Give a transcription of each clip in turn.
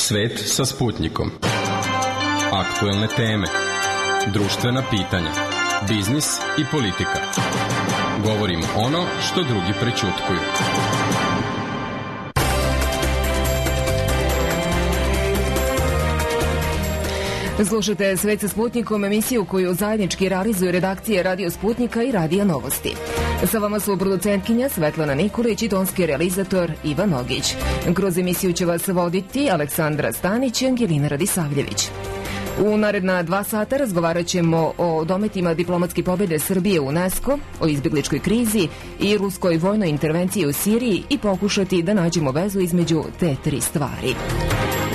Svet sa Sputnikom. Aktuelne teme, društvena pitanja, biznis i politika. Govorimo ono što drugi prećutkuju. Slušajte Svet sa Sputnikom, emisiju koju zajednički realizuju redakcije Radio Sputnika i Radija Novosti. Sa vama su producentkinja Svetlana Nikolić i tonski realizator Ivan Ogić. Kroz emisiju će vas voditi Aleksandra Stanić i Angelina Radisavljević. U naredna 2 sata razgovarat ćemo o dometima diplomatske pobjede Srbije u UNESCO, o izbjegličkoj krizi i ruskoj vojnoj intervenciji u Siriji i pokušati da nađemo vezu između te 3 stvari.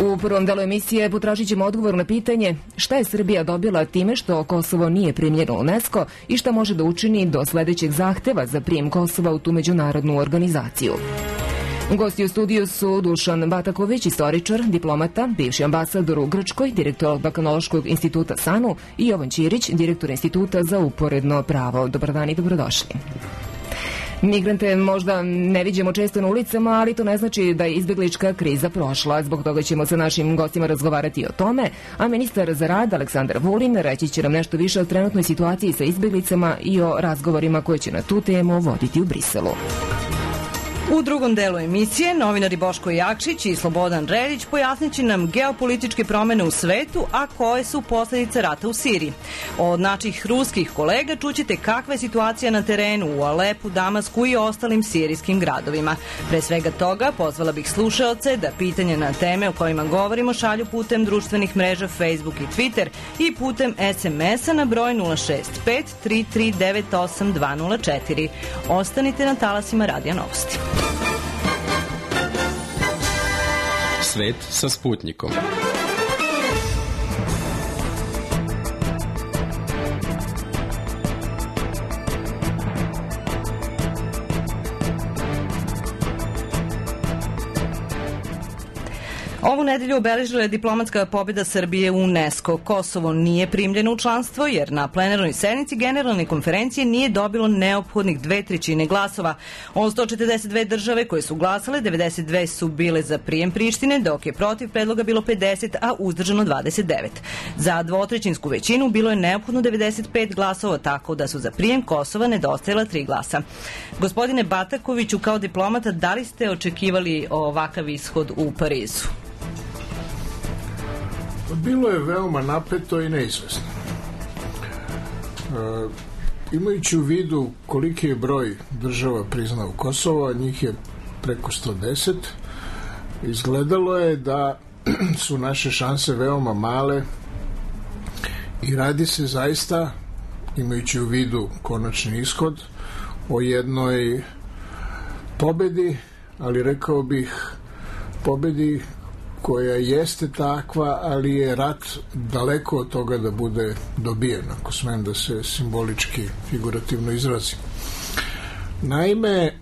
U prvom delu emisije potražit ćemo odgovor na pitanje šta je Srbija dobila time što Kosovo nije primljeno u UNESCO i šta može da učini do sledećeg zahteva za prijem Kosova u tu međunarodnu organizaciju. Gosti u studiju su Dušan Bataković, istoričar, diplomata, bivši ambasador u Grčkoj, direktor Balkanološkog instituta SANU i Jovan Ćirić, direktor Instituta za uporedno pravo. Dobar dan i dobrodošli. Migrante možda ne viđemo često na ulicama, ali to ne znači da je izbjeglička kriza prošla. Zbog toga ćemo sa našim gostima razgovarati o tome, a ministar za rad Aleksandar Vulin reći će nam nešto više o trenutnoj situaciji sa izbjeglicama i o razgovorima koje će na tu temu voditi u Briselu. U drugom delu emisije novinari Boško Jakšić i Slobodan Reljić pojasnit će nam geopolitičke promene u svetu, a koje su posljedice rata u Siriji. Od naših ruskih kolega čućete kakva je situacija na terenu u Alepu, Damasku i ostalim sirijskim gradovima. Pre svega toga pozvala bih slušaoce da pitanje na teme o kojima govorimo šalju putem društvenih mreža Facebook i Twitter i putem SMS-a na broj 065 3398 204. Ostanite na talasima Radija Novosti. Svet sa Sputnikom. Ovu nedelju obeležila je diplomatska pobjeda Srbije u UNESCO. Kosovo nije primljeno u članstvo jer na plenarnoj sednici Generalne konferencije nije dobilo neophodnih 2/3 glasova. Od 142 države koje su glasale, 92 su bile za prijem Prištine, dok je protiv predloga bilo 50, a uzdržano 29. Za 2/3 većinu bilo je neophodno 95 glasova, tako da su za prijem Kosova nedostajala 3 glasa. Gospodine Batakoviću, kao diplomata, da li ste očekivali ovakav ishod u Parizu? Bilo je veoma napeto i neizvesno. Imajući u vidu koliki je broj država priznao Kosovo, a njih je preko 110, izgledalo je da su naše šanse veoma male i radi se zaista, imajući u vidu konačni ishod, o jednoj pobedi, ali rekao bih pobedi koja jeste takva, ali je rat daleko od toga da bude dobijen, ako smem da se simbolički, figurativno izrazim. Naime,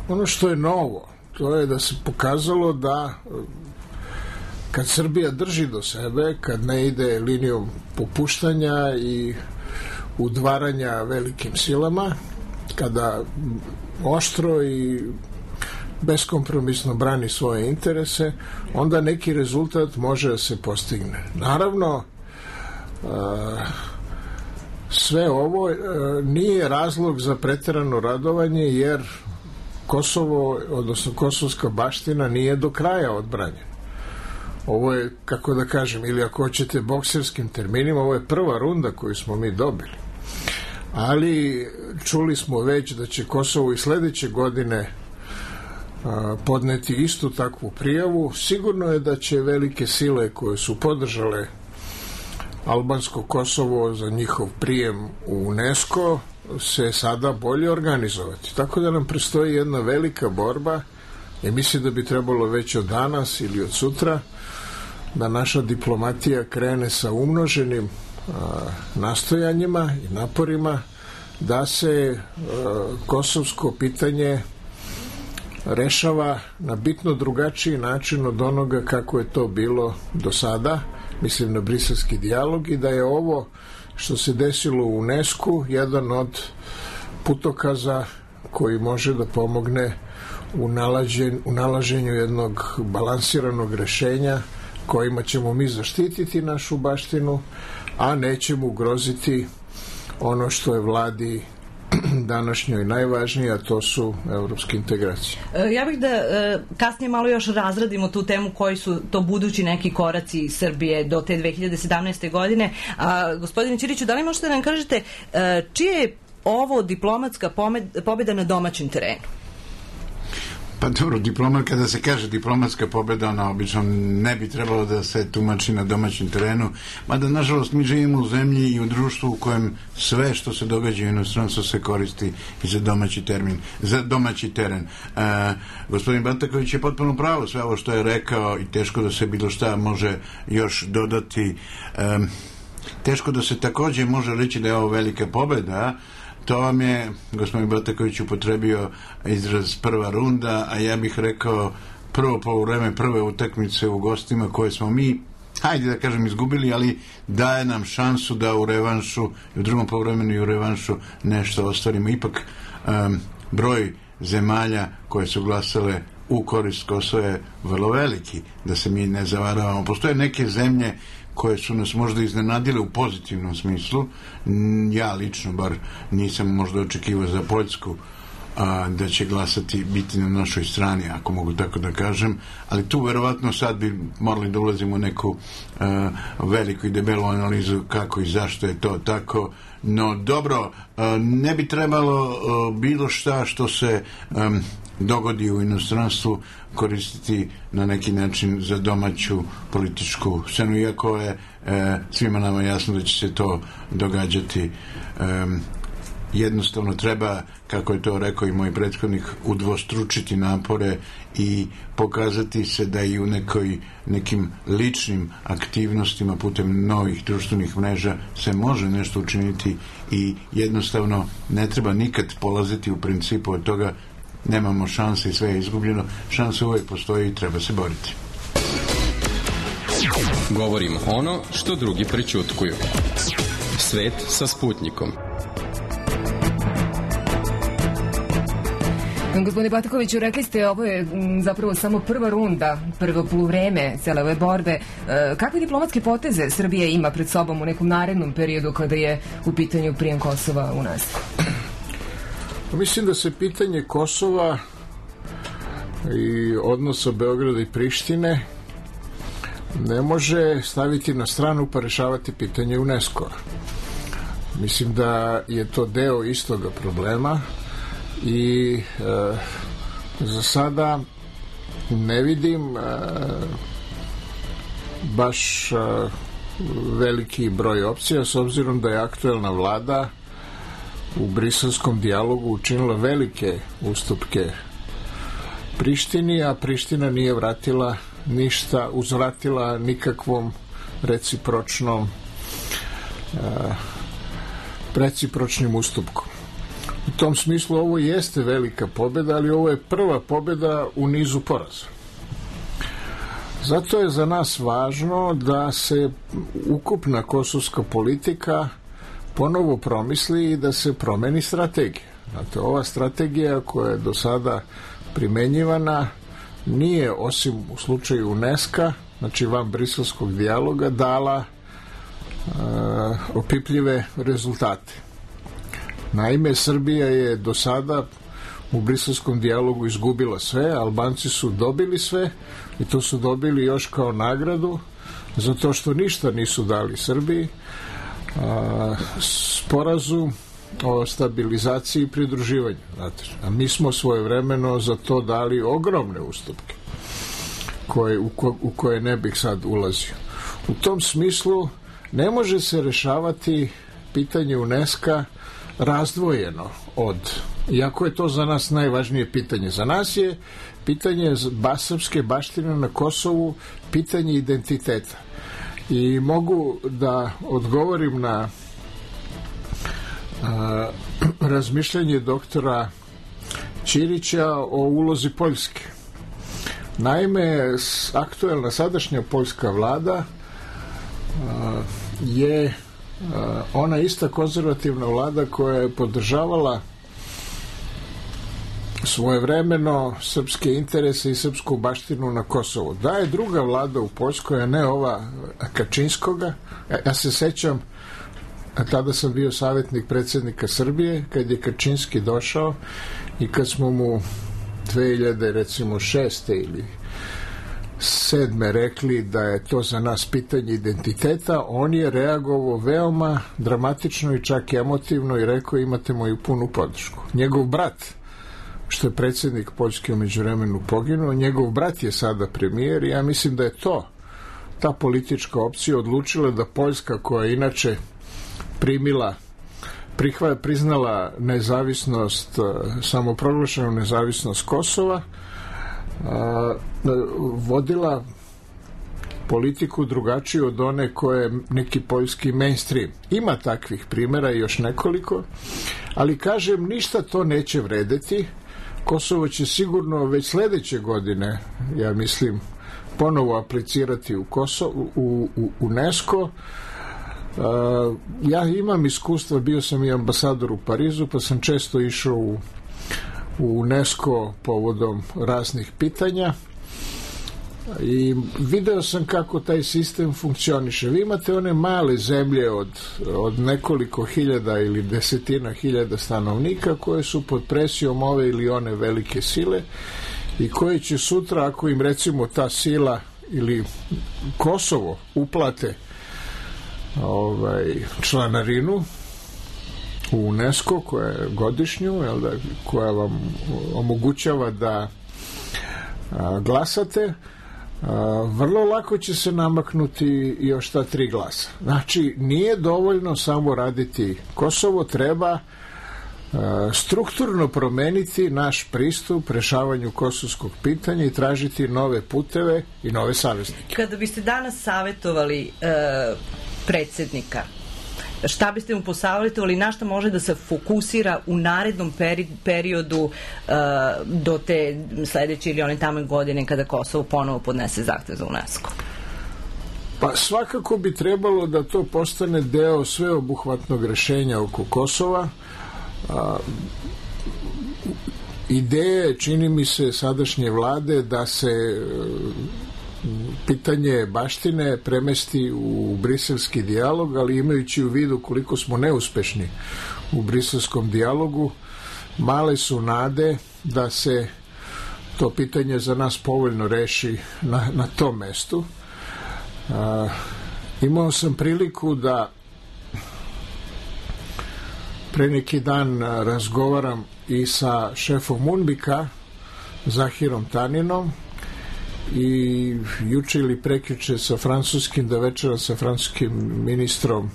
ono što je novo, to je da se pokazalo da kad Srbija drži do sebe, kad ne ide linijom popuštanja i udvaranja velikim silama, kada oštro i beskompromisno brani svoje interese, onda neki rezultat može da se postigne. Naravno, sve ovo nije razlog za preterano radovanje, jer Kosovo, odnosno kosovska baština, nije do kraja odbranjena. Ovo je, kako da kažem, ili ako hoćete bokserskim terminima, ovo je prva runda koju smo mi dobili. Ali čuli smo već da će Kosovo i sledeće godine podneti istu takvu prijavu. Sigurno je da će velike sile koje su podržale albansko Kosovo za njihov prijem u UNESCO se sada bolje organizovati. Tako da nam predstoji jedna velika borba i mislim da bi trebalo već od danas ili od sutra da naša diplomatija krene sa umnoženim nastojanjima i naporima da se kosovsko pitanje rešava na bitno drugačiji način od onoga kako je to bilo do sada, mislim na briselski dijalog, i da je ovo što se desilo u UNESCO jedan od putokaza koji može da pomogne u nalaženju jednog balansiranog rešenja kojima ćemo mi zaštititi našu baštinu, a nećemo ugroziti ono što je vladi današnjoj najvažnije, a to su evropske integracije. Ja bih da kasnije malo još razradimo tu temu koji su to budući neki koraci Srbije do te 2017. godine. Gospodine Ćiriću, da li možete da nam kažete čija je ovo diplomatska pobjeda na domaćem terenu? Pa dobro, kada se kaže diplomatska pobjeda, ona obično ne bi trebalo da se tumači na domaćem terenu, mada nažalost mi živimo u zemlji i u društvu u kojem sve što se događa u inostranstvu se koristi i za domaći teren. Gospodin Bataković je potpuno pravo, sve ovo što je rekao i teško da se bilo šta može još dodati. Teško da se također može reći da je ovo velika pobjeda. To vam je, gospodin Bataković, upotrebio izraz prva runda, a ja bih rekao prvo poluvreme prve utakmice u gostima koje smo mi, hajde da kažem, izgubili, ali daje nam šansu da u revanšu, u drugom poluvremenu i u revanšu nešto ostvarimo. Ipak broj zemalja koje su glasale u korist Kosova je vrlo veliki, da se mi ne zavaravamo. Postoje neke zemlje koje su nas možda iznenadile u pozitivnom smislu. Ja lično bar nisam možda očekivao za Poljsku da će biti na našoj strani, ako mogu tako da kažem, ali tu verovatno sad bi morali da ulazimo u neku veliku i debelu analizu kako i zašto je to tako. No dobro, ne bi trebalo bilo šta što se dogodi u inostranstvu koristiti na neki način za domaću političku scenu, iako je svima nama jasno da će se to događati. Jednostavno treba, kako je to rekao i moj prethodnik, udvostručiti napore i pokazati se da i u nekim ličnim aktivnostima putem novih društvenih mreža se može nešto učiniti i jednostavno ne treba nikad polaziti u principu od toga nemamo šanse i sve je izgubljeno. Šanse uvijek postoji i treba se boriti. Govorimo ono što drugi prećutkuju. Svet sa Sputnikom. Gospodine Batakoviću, rekli ste ovo je zapravo samo prva runda, prvo poluvreme cele ove borbe. Kakve diplomatske poteze Srbija ima pred sobom u nekom narednom periodu kada je u pitanju prijem Kosova u nas? Mislim da se pitanje Kosova i odnosa Beograda i Prištine ne može staviti na stranu pa rešavati pitanje UNESCO-a. Mislim da je to deo istoga problema i za sada ne vidim baš veliki broj opcija, s obzirom da je aktuelna vlada u briselskom dijalogu učinila velike ustupke Prištini, a Priština nije uzvratila nikakvom recipročnim ustupkom. U tom smislu ovo jeste velika pobjeda, ali ovo je prva pobjeda u nizu poraza. Zato je za nas važno da se ukupna kosovska politika ponovo promisli i da se promeni strategija. Znate, ova strategija koja je do sada primenjivana nije, osim u slučaju UNESCO-a, znači van briselskog dijaloga, dala opipljive rezultate. Naime, Srbija je do sada u briselskom dijalogu izgubila sve, Albanci su dobili sve i to su dobili još kao nagradu zato što ništa nisu dali Srbiji. Sporazum o stabilizaciji i pridruživanju. Znate, a mi smo svojevremeno za to dali ogromne ustupke u koje ne bih sad ulazio. U tom smislu ne može se rešavati pitanje UNESCO razdvojeno iako je to za nas najvažnije pitanje. Za nas je pitanje srpske baštine na Kosovu pitanje identiteta. I mogu da odgovorim na razmišljanje doktora Ćirića o ulozi Poljske. Naime, aktuelna sadašnja poljska vlada je ona ista konzervativna vlada koja je podržavala svojevremeno srpske interese i srpsku baštinu na Kosovu. Da je druga vlada u Poljskoj, a ne ova Kačinskoga. Ja se sećam, tada sam bio savjetnik predsjednika Srbije, kad je Kačinski došao i kad smo mu 2006. ili 2007. rekli da je to za nas pitanje identiteta, on je reagovao veoma dramatično i čak emotivno i rekao imate moju punu podršku. Njegov brat, što je predsjednik Poljske u međuvremenu poginuo, njegov brat je sada premijer i ja mislim da je ta politička opcija odlučila da Poljska, koja je inače priznala nezavisnost, samoproglašenu nezavisnost Kosova, vodila politiku drugačiju od one koje je neki poljski mainstream. Ima takvih primjera još nekoliko, ali kažem, ništa to neće vredeti. Kosovo će sigurno već sljedeće godine, ja mislim, ponovo aplicirati u UNESCO. Ja imam iskustva, bio sam i ambasador u Parizu, pa sam često išao u UNESCO povodom raznih pitanja i video sam kako taj sistem funkcioniše. Vi imate one male zemlje od nekoliko hiljada ili desetina hiljada stanovnika koje su pod presijom ove ili one velike sile i koje će sutra, ako im recimo ta sila ili Kosovo uplate članarinu u UNESCO, koja je godišnju, koja vam omogućava da glasate, vrlo lako će se namaknuti još ta 3 glasa. Znači, nije dovoljno samo raditi Kosovo, treba strukturno promeniti naš pristup rešavanju kosovskog pitanja i tražiti nove puteve i nove saveznike. Kada biste danas savjetovali predsjednika, šta biste mu posavjetovali, na šta može da se fokusira u narednom periodu do te sljedeće ili one tamo godine kada Kosovo ponovo podnese zahtev za UNESCO? Pa svakako bi trebalo da to postane deo sveobuhvatnog rešenja oko Kosova. Ideje, čini mi se, sadašnje vlade da se pitanje baštine premesti u briselski dijalog, ali imajući u vidu koliko smo neuspešni u briselskom dijalogu, male su nade da se to pitanje za nas povoljno reši na tom mestu. Imao sam priliku da pre neki dan razgovaram i sa šefom UNMIK-a, Zahirom Taninom, i juče ili prekjuče sa francuskim, da večera sa francuskim ministrom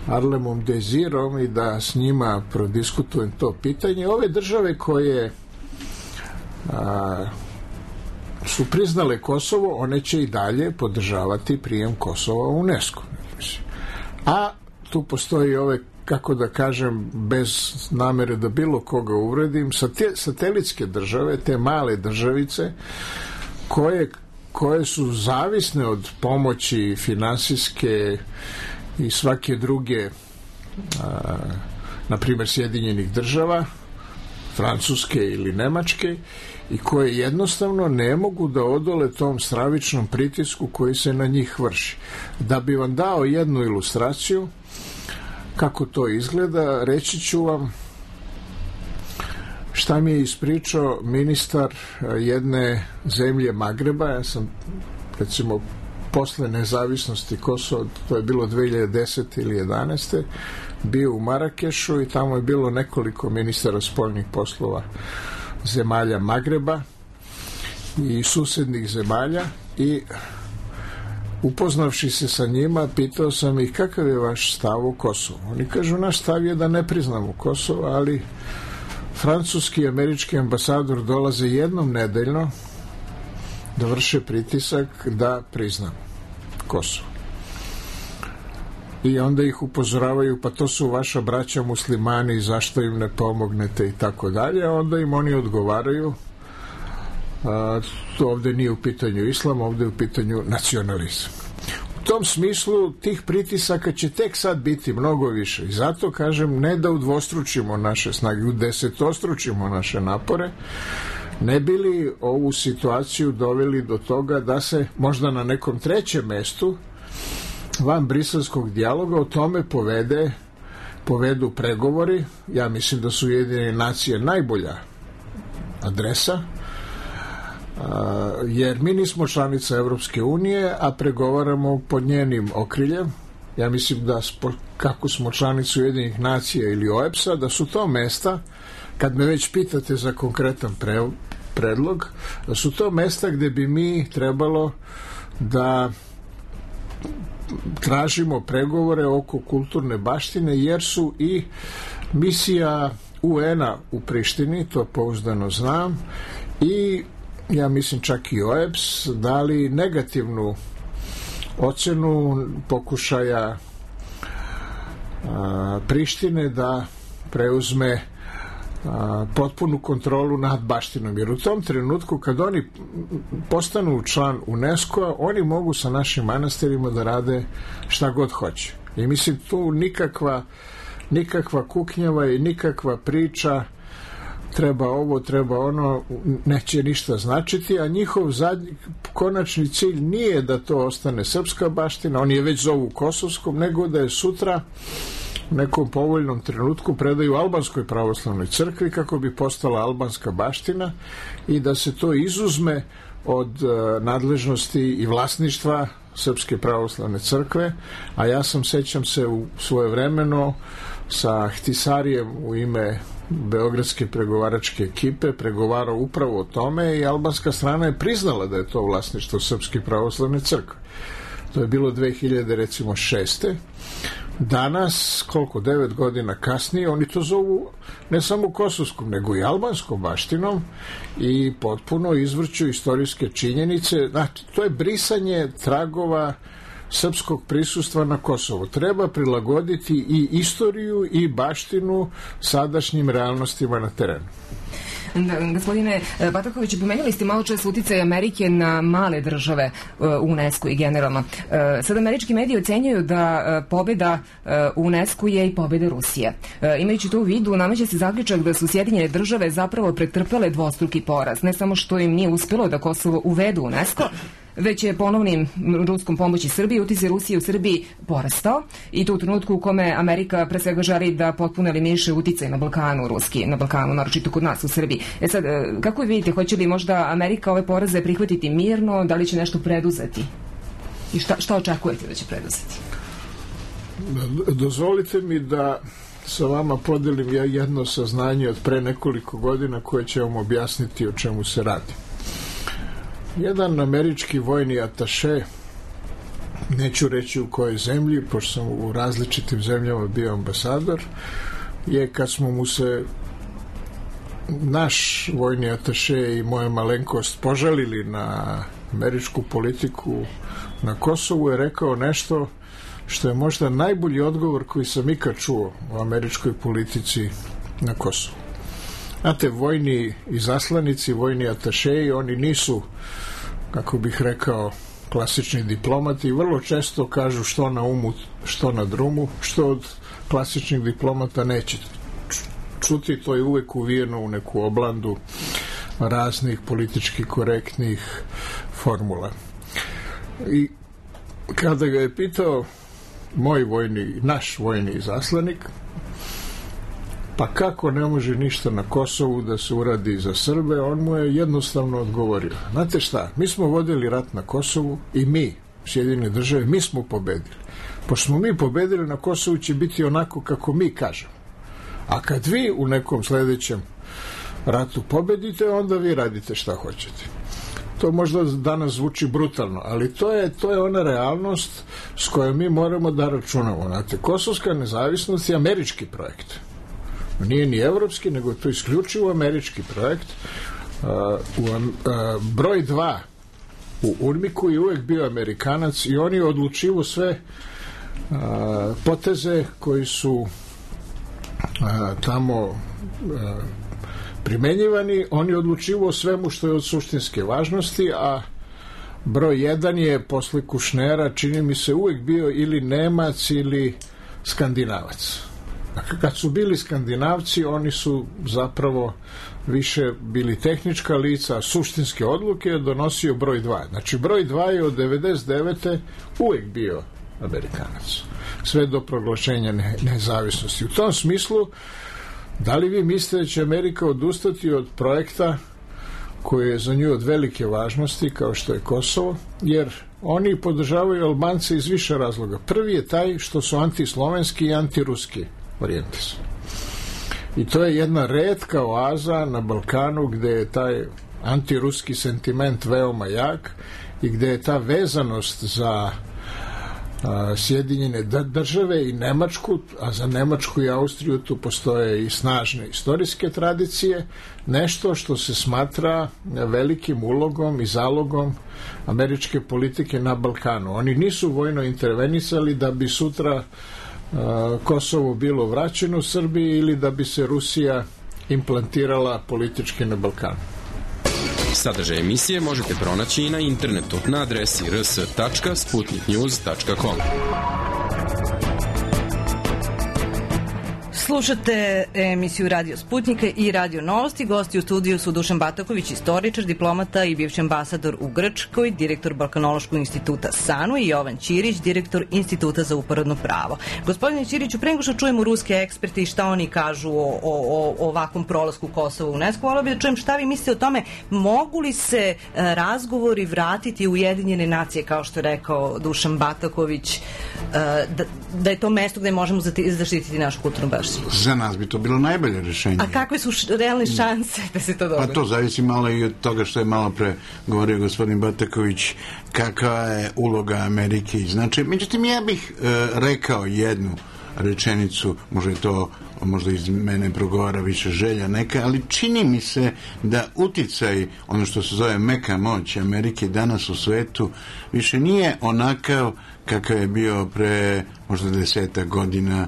Arlemom Desirom i da s njima prodiskutujem to pitanje. Ove države koje su priznale Kosovo, one će i dalje podržavati prijem Kosova u UNESCO. A tu postoji ove, kako da kažem, bez namere da bilo koga uvredim, satelitske države, te male državice koje su zavisne od pomoći finansijske i svake druge, na primjer Sjedinjenih država, Francuske ili Nemačke, i koje jednostavno ne mogu da odole tom stravičnom pritisku koji se na njih vrši. Da bi vam dao jednu ilustraciju kako to izgleda, reći ću vam šta mi je ispričao ministar jedne zemlje Magreba. Ja sam, recimo, posle nezavisnosti Kosova, to je bilo 2010. ili 2011. bio u Marakešu i tamo je bilo nekoliko ministara spoljnih poslova zemalja Magreba i susednih zemalja, i upoznavši se sa njima, pitao sam ih kakav je vaš stav o Kosovu. Oni kažu, naš stav je da ne priznamo Kosovo, ali francuski i američki ambasador dolaze jednom nedeljno da vrše pritisak da priznamo Kosovo. I onda ih upozoravaju, pa to su vaša braća muslimani, zašto im ne pomognete i tako dalje. Onda im oni odgovaraju, to ovdje nije u pitanju islam, ovdje je u pitanju nacionalizam. U U tom smislu tih pritisaka će tek sad biti mnogo više i zato kažem ne da udvostručimo naše snage, udesetostručimo naše napore, ne bi li ovu situaciju doveli do toga da se možda na nekom trećem mestu van briselskog dijaloga o tome povedu pregovori. Ja mislim da su Ujedinjene nacije najbolja adresa, jer mi nismo članica Evropske unije, a pregovaramo pod njenim okriljem. Ja mislim da kako smo članicu Ujedinjenih nacija ili OEBS-a, da su to mesta, kad me već pitate za konkretan predlog, da su to mesta gde bi mi trebalo da tražimo pregovore oko kulturne baštine, jer su i misija UN-a u Prištini, to pouzdano znam, i ja mislim čak i OEBS dali negativnu ocenu pokušaja Prištine da preuzme potpunu kontrolu nad baštinom, jer u tom trenutku kad oni postanu član UNESCO-a, oni mogu sa našim manastirima da rade šta god hoće. I mislim tu nikakva kuknjava i nikakva priča treba ovo, treba ono, neće ništa značiti, a njihov konačni cilj nije da to ostane srpska baština, oni je već zovu kosovskom, nego da je sutra u nekom povoljnom trenutku predaju albanskoj pravoslavnoj crkvi kako bi postala albanska baština i da se to izuzme od nadležnosti i vlasništva Srpske pravoslavne crkve, a ja sećam se u svojevremeno sa Htisarijem u ime beogradske pregovaračke ekipe pregovarao upravo o tome i albanska strana je priznala da je to vlasništvo Srpske pravoslavne crkve. To je bilo 2006. Danas, 9 godina kasnije, oni to zovu ne samo kosovskom, nego i albanskom baštinom i potpuno izvrću istorijske činjenice. Znači, to je brisanje tragova srpskog prisustva na Kosovu. Treba prilagoditi i istoriju i baštinu sadašnjim realnostima na terenu. Gospodine Bataković, pomenuli ste malo čas uticaj Amerike na male države UNESCO i generalno. Sad američki mediji ocenjuju da pobeda UNESCO je i pobeda Rusije. Imajući to u vidu, nameće se zaključak da su Sjedinjene države zapravo pretrpele dvostruki poraz. Ne samo što im nije uspelo da Kosovo uvedu UNESCO, već je ponovnim ruskom pomoći Srbiji uticaj Rusije u Srbiji porastao i to u trenutku u kome Amerika pre svega želi da potpuno eliminiše uticaj na Balkanu, ruski, na Balkanu, naročito kod nas u Srbiji. Sad, kako vidite, hoće li možda Amerika ove poraze prihvatiti mirno, da li će nešto preduzeti? I šta očekujete da će preduzeti? Dozvolite mi da sa vama podelim jedno saznanje od pre nekoliko godina koje će vam objasniti o čemu se radi. Jedan američki vojni ataše, neću reći u kojoj zemlji, pošto sam u različitim zemljama bio ambasador, je kad smo mu se naš vojni ataše i moja malenkost požalili na američku politiku na Kosovu, je rekao nešto što je možda najbolji odgovor koji sam ikad čuo o američkoj politici na Kosovu. Znate, vojni izaslanici, vojni atašeji, oni nisu, kako bih rekao, klasični diplomati i vrlo često kažu što na umu, što na drumu, što od klasičnih diplomata nećete čuti, to je uvek uvijeno u neku oblandu raznih politički korektnih formula. I kada ga je pitao naš vojni izaslanik, pa kako ne može ništa na Kosovu da se uradi za Srbe, on mu je jednostavno odgovorio. Znate šta, mi smo vodili rat na Kosovu i mi, Sjedinjene države, mi smo pobedili. Pošto smo mi pobedili, na Kosovu će biti onako kako mi kažemo. A kad vi u nekom sledećem ratu pobedite, onda vi radite šta hoćete. To možda danas zvuči brutalno, ali to je ona realnost s kojom mi moramo da računamo. Znate, kosovska nezavisnost je američki projekt. Nije ni evropski, nego je to isključivo američki projekt. Broj 2 u UNMIK-u je uvek bio Amerikanac i on je odlučivo sve poteze koji su tamo primenjivani, on je odlučivo o svemu što je od suštinske važnosti, a broj 1 je posle Kušnera, čini mi se, uvek bio ili Nemac ili Skandinavac. Dakle, kad su bili Skandinavci, oni su zapravo više bili tehnička lica, a suštinske odluke je donosio broj 2. Znači, broj 2 je od 99. uvek bio Amerikanac. Sve do proglašenja nezavisnosti. U tom smislu, da li vi mislite da će Amerika odustati od projekta koji je za nju od velike važnosti, kao što je Kosovo, jer oni podržavaju Albance iz više razloga. Prvi je taj što su antislovenski i antiruski orijentisani. I to je jedna retka oaza na Balkanu gde je taj antiruski sentiment veoma jak i gde je ta vezanost za Sjedinjene države i Nemačku, a za Nemačku i Austriju tu postoje i snažne istorijske tradicije, nešto što se smatra velikim ulogom i zalogom američke politike na Balkanu. Oni nisu vojno intervenisali da bi sutra Kosovo bilo vraćeno Srbiji ili da bi se Rusija implantirala politički na Balkanu. Sadržaj emisije možete pronaći i na internetu na adresi rs.sputniknews.com. Slušate emisiju Radio Sputnika i Radio Novosti. Gosti u studiju su Dušan Bataković, istoričar, diplomata i bivši ambasador u Grčkoj, direktor Balkanološkog instituta SANU, i Jovan Ćirić, direktor Instituta za uporedno pravo. Gospodine Ćiriću, pre nego što čujemo ruske eksperte i šta oni kažu o ovakvom prolasku Kosova u UNESCO, volio bih da čujem šta vi mislite o tome, mogu li se razgovori vratiti u Ujedinjene nacije, kao što je rekao Dušan Bataković, da je to mesto gde možemo zaštititi našu kulturnu baštinu? Za nas bi to bilo najbolje rešenje. A kakve su realne šanse da se to dogodi? Pa to zavisi malo i od toga što je malo pre govorio gospodin Bataković, kakva je uloga Amerike i znači. Međutim, ja bih rekao jednu rečenicu, možda iz mene progovara više želja neka, ali čini mi se da uticaj, ono što se zove meka moć Amerike danas u svetu, više nije onakav kakav je bio pre možda 10 godina.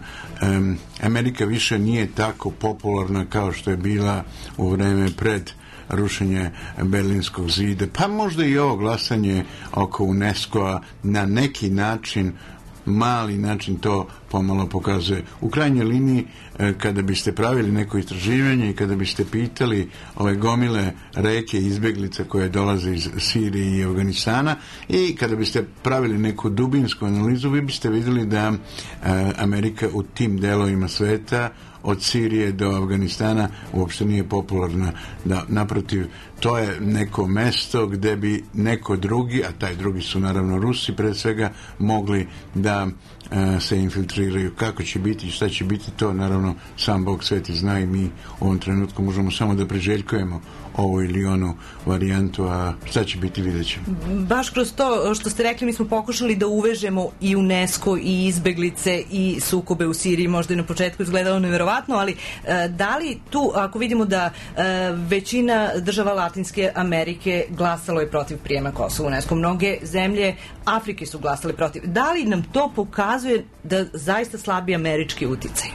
Amerika više nije tako popularna kao što je bila u vreme pred rušenje Berlinskog zida, pa možda i ovo glasanje oko UNESCO-a na neki način, mali način to pomalo pokazuje. U krajnjoj liniji, kada biste pravili neko istraživanje i kada biste pitali ove gomile reke izbeglica koje dolaze iz Sirije i Afganistana i kada biste pravili neku dubinsku analizu, vi biste vidjeli da Amerika u tim delovima sveta od Sirije do Afganistana uopšte nije popularna. Da, naprotiv, to je neko mesto gde bi neko drugi, a taj drugi su naravno Rusi pre svega, mogli da se infiltriraju. Kako će biti i šta će biti, to naravno sam Bog sveti zna i mi u ovom trenutku možemo samo da priželjkujemo ovu ili onu varijantu, a šta će biti, vidjet ćemo. Baš kroz to što ste rekli, mi smo pokušali da uvežemo i UNESCO i izbeglice i sukobe u Siriji, možda i na početku izgledalo neverovatno, ali da li tu, ako vidimo da većina država Latinske Amerike glasalo je protiv prijema Kosova u UNESCO, mnoge zemlje Afrike su glasale protiv, da li nam to pokazuje da zaista slabi američki uticaj?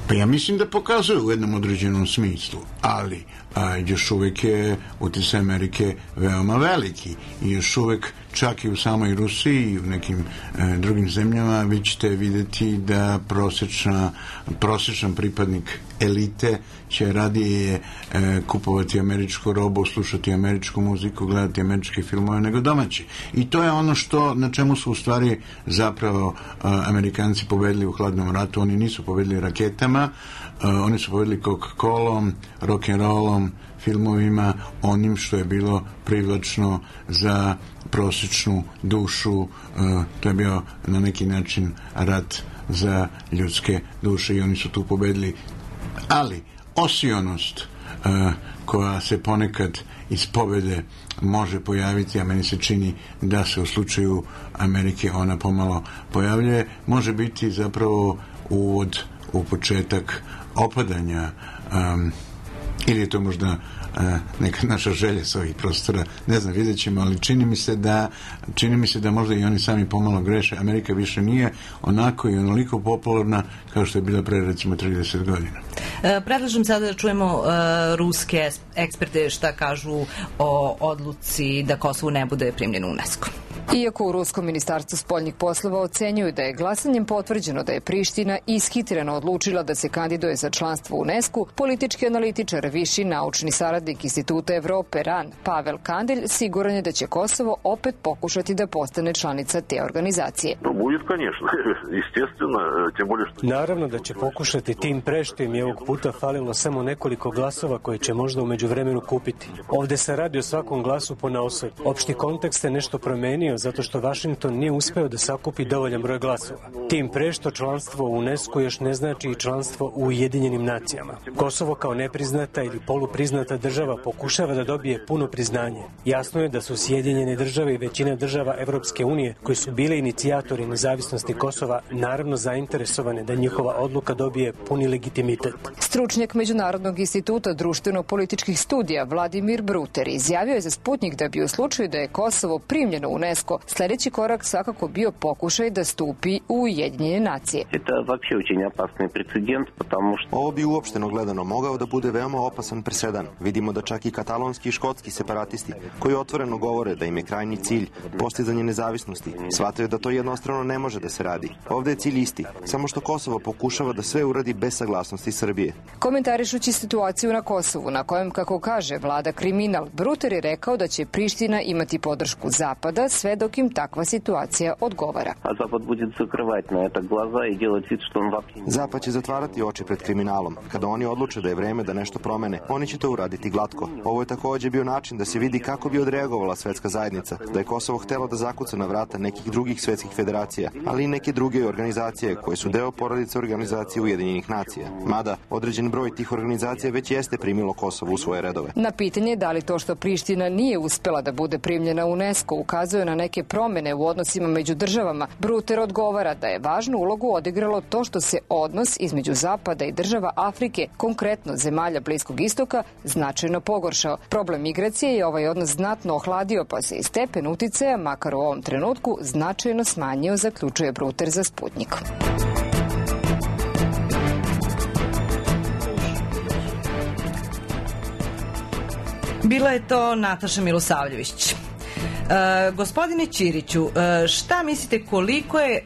Pa ja mislim da pokazuje u jednom određenom smislu, ali još uvek je uticaj Amerike veoma veliki i još uvek čak i u samoj Rusiji i u nekim drugim zemljama vi ćete vidjeti da prosječan pripadnik elite će radije kupovati američku robu, slušati američku muziku, gledati američke filmove nego domaći. I to je ono na čemu su u stvari zapravo Amerikanci pobedili u hladnom ratu. Oni nisu pobedili raketama, oni su pobedili Coca-Colom, rock'n'rollom, filmovima, onim što je bilo privlačno za prosječnu dušu. To je bio na neki način rat za ljudske duše i oni su tu pobedili. Ali osionost koja se ponekad iz pobede može pojaviti, a meni se čini da se u slučaju Amerike ona pomalo pojavljuje, može biti zapravo uvod u početak opadanja, ili je to možda neka naša želja s ovih prostora, ne znam, vidjet ćemo, ali čini mi se da možda i oni sami pomalo greše. Amerika više nije onako i onoliko popularna kao što je bila pre recimo 30 godina. Predlažem sada da čujemo ruske eksperte šta kažu o odluci da Kosovo ne bude primljeno u UNESCO. Iako u Ruskom ministarstvu spoljnih poslova ocenjuju da je glasanjem potvrđeno da je Priština ishitreno odlučila da se kandiduje za članstvo u UNESCO, politički analitičar, viši naučni saradnik Instituta Evrope RAN, Pavel Kandelj, siguran je da će Kosovo opet pokušati da postane članica te organizacije. Naravno da će pokušati, tim pre što im je ovog puta falilo samo nekoliko glasova koje će možda u međuvremenu kupiti. Ovde se radi o svakom glasu ponaosob. Opšti kontekst se nešto promenio zato što Vašington nije uspeo da sakupi dovoljan broj glasova. Tim pre što članstvo u UNESCO još ne znači i članstvo u Ujedinjenim nacijama. Kosovo kao nepriznata ili polupriznata država pokušava da dobije puno priznanje. Jasno je da su Sjedinjene države i većina država Evropske unije, koji su bile inicijatori nezavisnosti Kosova, naravno zainteresovane da njihova odluka dobije puni legitimitet. Stručnjak Međunarodnog instituta društveno-političkih studija Vladimir Bruter izjavio je za Sputnik da bi u slučaju da je Kosovo primljeno u UNESCO, sledeći korak svakako bio pokušaj da stupi u Ujedinjene nacije. Ovo bi uopšteno gledano mogao da bude veoma opasan presedan. Vidimo da čak i katalonski i škotski separatisti, koji otvoreno govore da im je krajnji cilj postizanje nezavisnosti, shvataju da to jednostrano ne može da se radi. Ovde je cilj isti, samo što Kosovo pokušava da sve uradi bez saglasnosti Srbije. Komentarišući situaciju na Kosovu, na kojem, kako kaže, vlada kriminal, Bruter je rekao da će Priština imati podršku Zapada sve dok im takva situacija odgovara. Zapad će zatvarati oči pred kriminalom. Kada oni odluče da je vreme da nešto promene, oni će to uraditi glatko. Ovo je takođe bio način da se vidi kako bi odreagovala svetska zajednica, da je Kosovo htelo da zakuca na vrata nekih drugih svetskih federacija, ali i neke druge organizacije koje su deo porodice organizacije Ujedinjenih nacija. Mada, određen broj tih organizacija već jeste primilo Kosovo u svoje redove. Na pitanje da li to što Priština nije uspela da bude primljena u UNESCO ukazuje na neke promene u odnosima među državama, Bruter odgovara da je važnu ulogu odigralo to što se odnos između Zapada i država Afrike, konkretno zemalja Bliskog istoka, značajno pogoršao. Problem migracije je ovaj odnos znatno ohladio, pa se i stepen uticaja, makar u ovom trenutku, značajno smanjio, zaključuje Bruter za Sputnik. Bila je to Nataša Milosavljević. Gospodine Ćiriću, šta mislite koliko je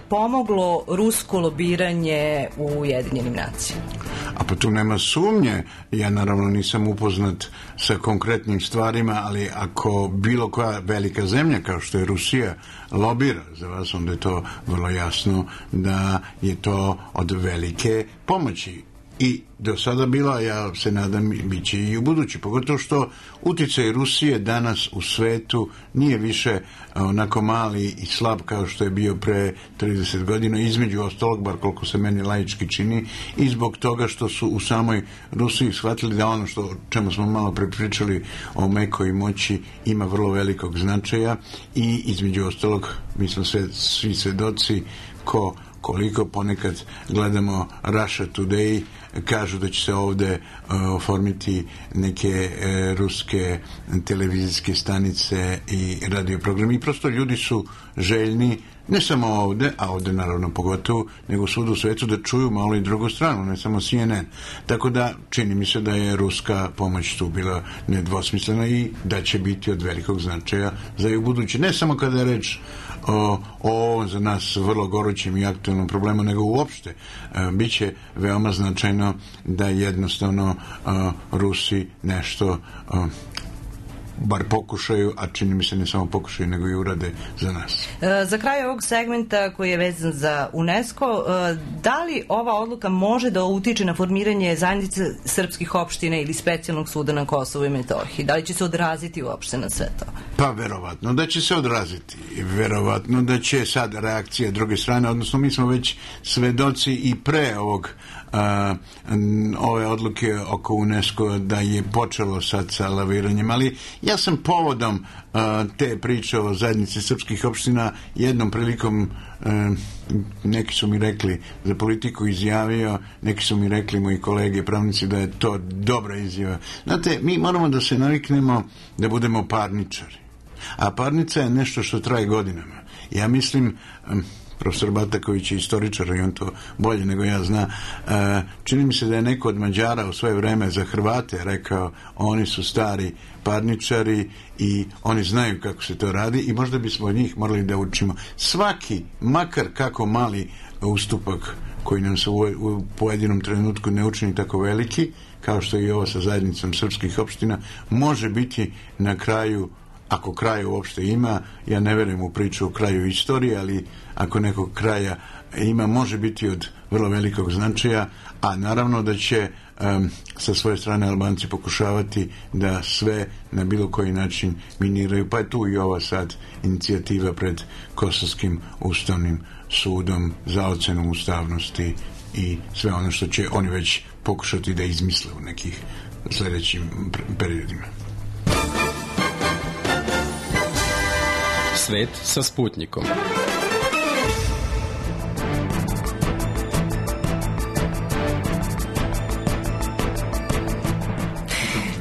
pomoglo rusko lobiranje u Ujedinjenim nacijama? A pa tu nema sumnje. Ja naravno nisam upoznat sa konkretnim stvarima, ali ako bilo koja velika zemlja kao što je Rusija lobira za vas, onda je to vrlo jasno da je to od velike pomoći. I do sada bila, ja se nadam, bit će i u budući, pogotovo što uticaj Rusije danas u svetu nije više onako mali i slab kao što je bio pre 30 godina, između ostalog, bar koliko se meni laički čini, i zbog toga što su u samoj Rusiji shvatili da ono što čemu smo malo prepričali o mekoj moći ima vrlo velikog značaja i između ostalog mi smo svi svedoci koliko ponekad gledamo Russia Today, kažu da će se ovde oformiti neke ruske televizijske stanice i radioprogrami i prosto ljudi su željni ne samo ovde, a ovde naravno pogotovo, nego svuda u svetu da čuju malo i drugu stranu, ne samo CNN. Tako da čini mi se da je ruska pomoć tu bila nedvosmislena i da će biti od velikog značaja za i u budući. Ne samo kada je reč o za nas vrlo gorućim i aktualnom problemu, nego uopšte biće veoma značajno da jednostavno Rusi nešto bar pokušaju, a čini mi se ne samo pokušaju, nego i urade za nas. Za kraj ovog segmenta koji je vezan za UNESCO, da li ova odluka može da utiče na formiranje zajednice srpskih opština ili specijalnog suda na Kosovu i Metohiji? Da li će se odraziti uopšte na sve to? Pa verovatno da će se odraziti. Verovatno da će sad reakcija druge strane, odnosno mi smo već svedoci i pre ove odluke oko UNESCO da je počelo sad sa laviranjem, ali Ja sam povodom te priče o zajednici srpskih opština jednom prilikom neki su mi rekli za Politiku izjavio, neki su mi rekli moji kolege pravnici da je to dobra izjava. Znate, mi moramo da se naviknemo da budemo parničari. A parnica je nešto što traje godinama. Ja mislim, profesor Bataković je istoričar i on to bolje nego ja zna, čini mi se da je neko od Mađara u svoje vreme za Hrvate rekao, oni su stari parničari i oni znaju kako se to radi i možda bismo od njih morali da učimo. Svaki, makar kako mali ustupak koji nam se u pojedinom trenutku ne učini tako veliki, kao što je i ovo sa zajednicom srpskih opština, može biti na kraju, ako kraja uopšte ima, ja ne verujem u priču o kraju istorije, ali ako nekog kraja ima, može biti od vrlo velikog značaja, a naravno da će sa svoje strane Albanci pokušavati da sve na bilo koji način miniraju, pa je tu i ova sad inicijativa pred Kosovskim ustavnim sudom za ocenu ustavnosti i sve ono što će oni već pokušati da izmisle u nekih sljedećim periodima. Svet sa Sputnikom.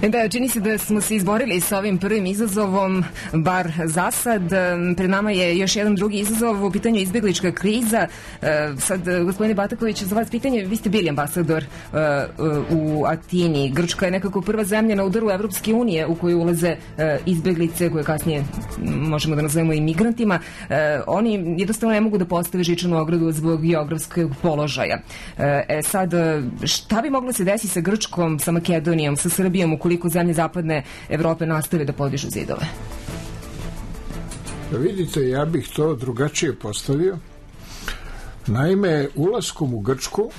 Da, čini se da smo se izborili sa ovim prvim izazovom, bar za sad. Pred nama je još jedan drugi izazov, u pitanju izbjeglička kriza. Sad, gospodine Bataković, za vas pitanje, vi ste bili ambasador u Atini. Grčka je nekako prva zemlja na udaru Evropske unije u koju ulaze izbjeglice, koje kasnije možemo da nazovemo i migrantima. Oni jednostavno ne mogu da postave žičanu ogradu zbog geografskog položaja. Sad, šta bi moglo se desiti sa Grčkom, sa Makedonijom, sa Srbijom, ukoliko zemlje zapadne Evrope nastave da podižu zidove? Vidite, ja bih to drugačije postavio. Naime, ulaskom u Grčku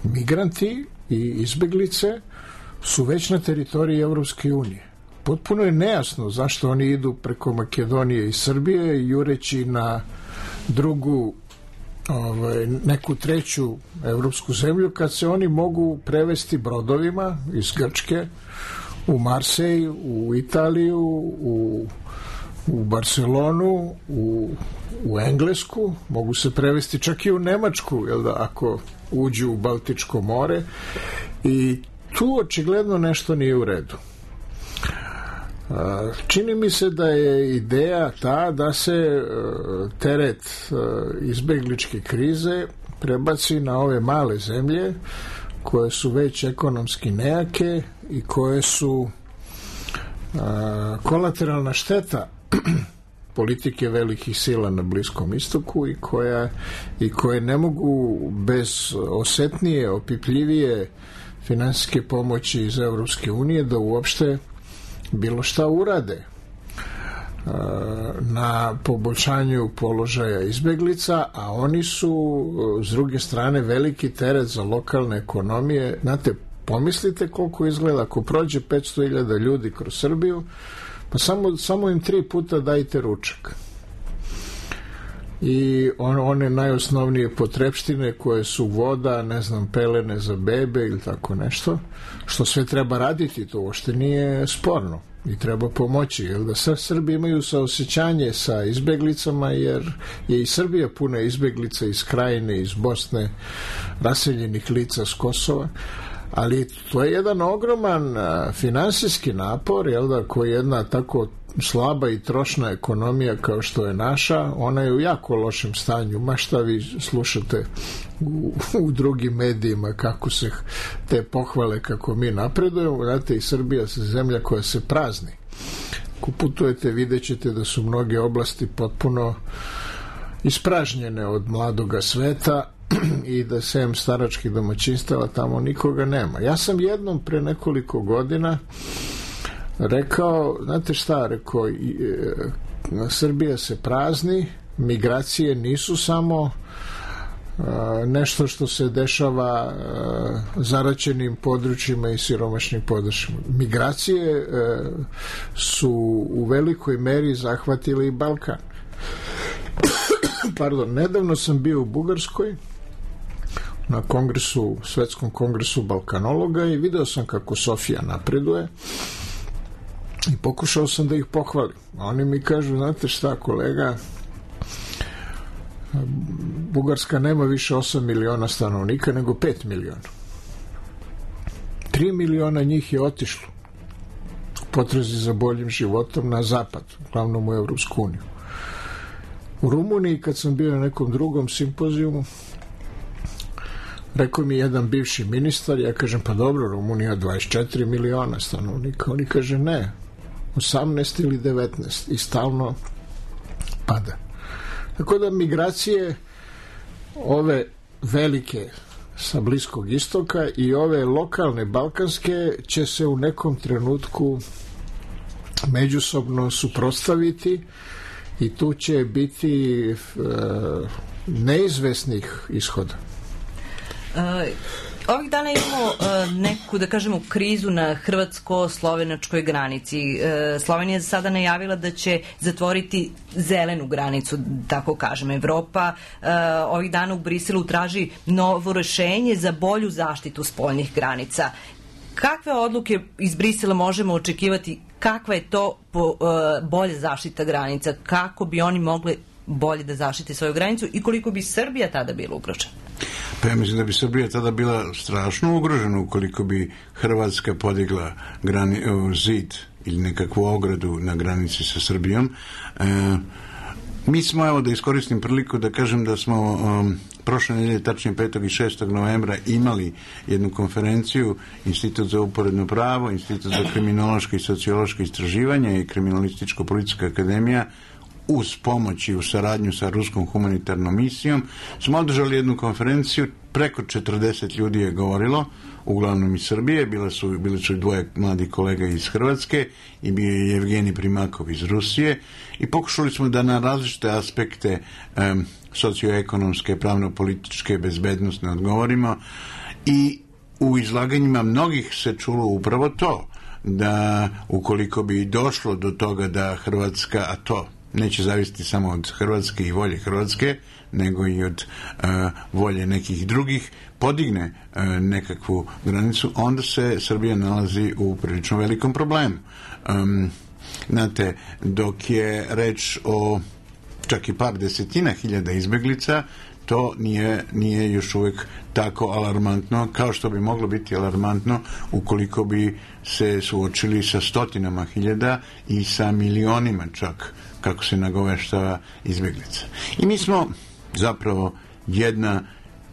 migranti i izbeglice su već na teritoriji Evropske unije. Potpuno je nejasno zašto oni idu preko Makedonije i Srbije jureći na drugu neku treću evropsku zemlju, kad se oni mogu prevesti brodovima iz Grčke u Marsej, u Italiju, u Barcelonu, u Englesku, mogu se prevesti čak i u Nemačku, jel da, ako uđu u Baltičko more, i tu očigledno nešto nije u redu. Čini mi se da je ideja ta da se teret izbegličke krize prebaci na ove male zemlje koje su već ekonomski nejake i koje su kolateralna šteta politike velikih sila na Bliskom istoku i koje ne mogu bez osetnije, opipljivije finansijske pomoći iz Evropske unije da uopšte bilo šta urade na poboljšanju položaja izbeglica, a oni su s druge strane veliki teret za lokalne ekonomije. Znate, pomislite koliko izgleda ako prođe 500.000 ljudi kroz Srbiju, pa samo im 3 puta dajte ručak i one najosnovnije potrepštine koje su voda, ne znam, pelene za bebe ili tako nešto, što sve treba raditi, to uopšte nije sporno i treba pomoći, jer da sve Srbi imaju saosećanje sa izbeglicama, jer je i Srbija puna izbeglica iz Krajine, iz Bosne, raseljenih lica s Kosova, ali to je jedan ogroman finansijski napor, jel da, koji jedna tako slaba i trošna ekonomija kao što je naša, ona je u jako lošem stanju. Ma šta vi slušate u drugim medijima kako se te pohvale kako mi napredujemo. Znate, i Srbija se zemlja koja se prazni. Ako putujete, vidjet ćete da su mnoge oblasti potpuno ispražnjene od mladoga sveta i da sem staračkih domaćinstava tamo nikoga nema. Ja sam jednom pre nekoliko godina rekao, znate šta, rekao, Srbija se prazni, migracije nisu samo nešto što se dešava zaraćenim područjima i siromašnim područjima. Migracije su u velikoj meri zahvatile i Balkan. Pardon, nedavno sam bio u Bugarskoj na kongresu, svetskom kongresu balkanologa i video sam kako Sofija napreduje I pokušao sam da ih pohvalim. A oni mi kažu, znate šta, kolega, Bugarska nema više 8 miliona stanovnika, nego 5 miliona. 3 miliona njih je otišlo u potrazi za boljim životom na zapad, uglavnom u Evropsku uniju. U Rumuniji, kad sam bio na nekom drugom simpozijumu, rekao mi jedan bivši ministar, ja kažem, pa dobro, Rumunija 24 miliona stanovnika. Oni kaže, ne, 18 ili 19 i stalno pada. Tako da migracije ove velike sa Bliskog istoka i ove lokalne balkanske će se u nekom trenutku međusobno suprotstaviti i tu će biti neizvesnih ishoda. Ovih dana imamo neku, da kažemo, krizu na hrvatsko-slovenačkoj granici. Slovenija je sada najavila da će zatvoriti zelenu granicu, tako kažem. Evropa ovih dana u Briselu traži novo rešenje za bolju zaštitu spoljnih granica. Kakve odluke iz Brisela možemo očekivati? Kakva je to bolja zaštita granica? Kako bi oni mogli bolje da zaštite svoju granicu i koliko bi Srbija tada bila ugrožena? Pa ja mislim da bi Srbija tada bila strašno ugrožena ukoliko bi Hrvatska podigla zid ili nekakvu ogradu na granici sa Srbijom. Mi smo, evo da iskoristim priliku da kažem da smo prošle nedelje, tačnije 5. i 6. novembra imali jednu konferenciju Institut za uporedno pravo, Institut za kriminološke i sociološke istraživanja i Kriminalističko-policijska akademija uz pomoć i u saradnju sa Ruskom humanitarnom misijom smo održali jednu konferenciju, preko 40 ljudi je govorilo, uglavnom iz Srbije, bili su dvoje mladih kolega iz Hrvatske i bio je Jevgenij Primakov iz Rusije i pokušali smo da na različite aspekte socioekonomske, pravno-političke, bezbednosne odgovorimo i u izlaganjima mnogih se čulo upravo to, da ukoliko bi došlo do toga da Hrvatska, a to neće zavisiti samo od Hrvatske i volje Hrvatske, nego i od volje nekih drugih, podigne nekakvu granicu, onda se Srbija nalazi u prilično velikom problemu. Znate, dok je reč o čak i par desetina hiljada izbeglica, to nije još uvijek tako alarmantno kao što bi moglo biti alarmantno ukoliko bi se suočili sa stotinama hiljada i sa milionima čak, kako se nagoveštava, izbeglica. I mi smo zapravo jedna,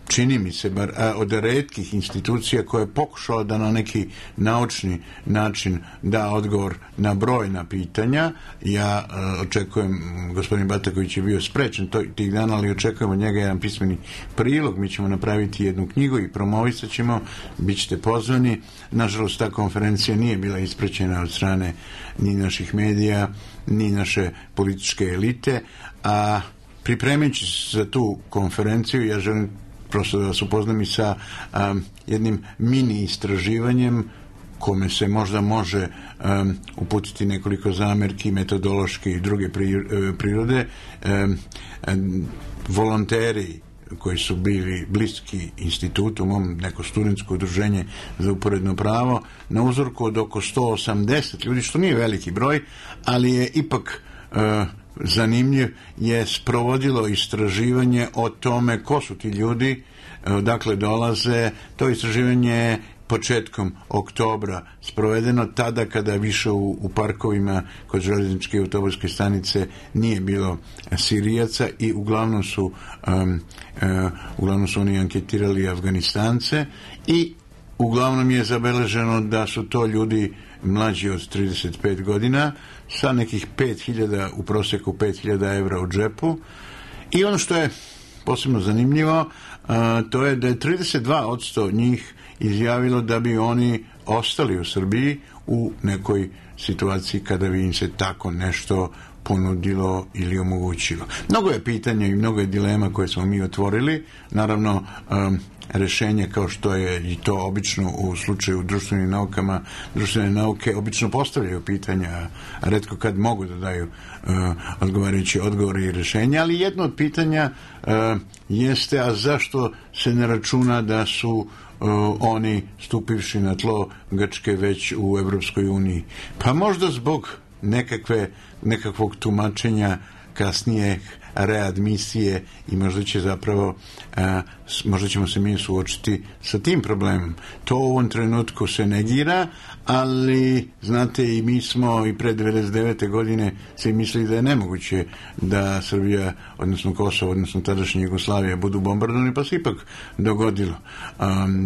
čini mi se, bar od retkih institucija koja je pokušala da na neki naučni način da odgovor na brojna pitanja. Ja očekujem, gospodin Bataković je bio sprečen tih dana, ali očekujem od njega jedan pismeni prilog. Mi ćemo napraviti jednu knjigu i promovisat ćemo, bit ćete pozvani. Nažalost, ta konferencija nije bila ispraćena od strane ni naših medija, ni naše političke elite, a pripremajući se za tu konferenciju, ja želim prosto da vas upoznam i sa jednim mini istraživanjem kome se možda može uputiti nekoliko zamerki, metodološke i druge prirode. Volonteri koji su bili bliski institutu, neko studentsko udruženje za uporedno pravo, na uzorku od oko 180 ljudi, što nije veliki broj, ali je ipak zanimljiv, je sprovodilo istraživanje o tome ko su ti ljudi, odakle dolaze. To istraživanje je početkom oktobra sprovedeno, tada kada više u parkovima kod železničke autobuske stanice nije bilo Sirijaca i uglavnom su oni anketirali Afganistance i uglavnom je zabeleženo da su to ljudi mlađi od 35 godina sa nekih 5.000, u prosjeku 5.000 evra u džepu. I ono što je posebno zanimljivo, to je da je 32% njih izjavilo da bi oni ostali u Srbiji u nekoj situaciji kada bi im se tako nešto ponudilo ili omogućilo. Mnogo je pitanja i mnogo je dilema koje smo mi otvorili. Naravno, rešenje, kao što je i to obično u slučaju društvenih naukama, društvene nauke obično postavljaju pitanja, a retko kad mogu da daju odgovarajući odgovore i rešenja, ali jedno od pitanja jeste, a zašto se ne računa da su oni stupivši na tlo Grčke već u Evropskoj uniji. Pa možda zbog nekakvog tumačenja kasnije readmisije i možda ćemo se mi suočiti sa tim problemom. To u ovom trenutku se negira, ali znate i mi smo i pre 99. godine se mislili da je nemoguće da Srbija, odnosno Kosovo, odnosno tadašnja Jugoslavija budu bombardovani, pa se ipak dogodilo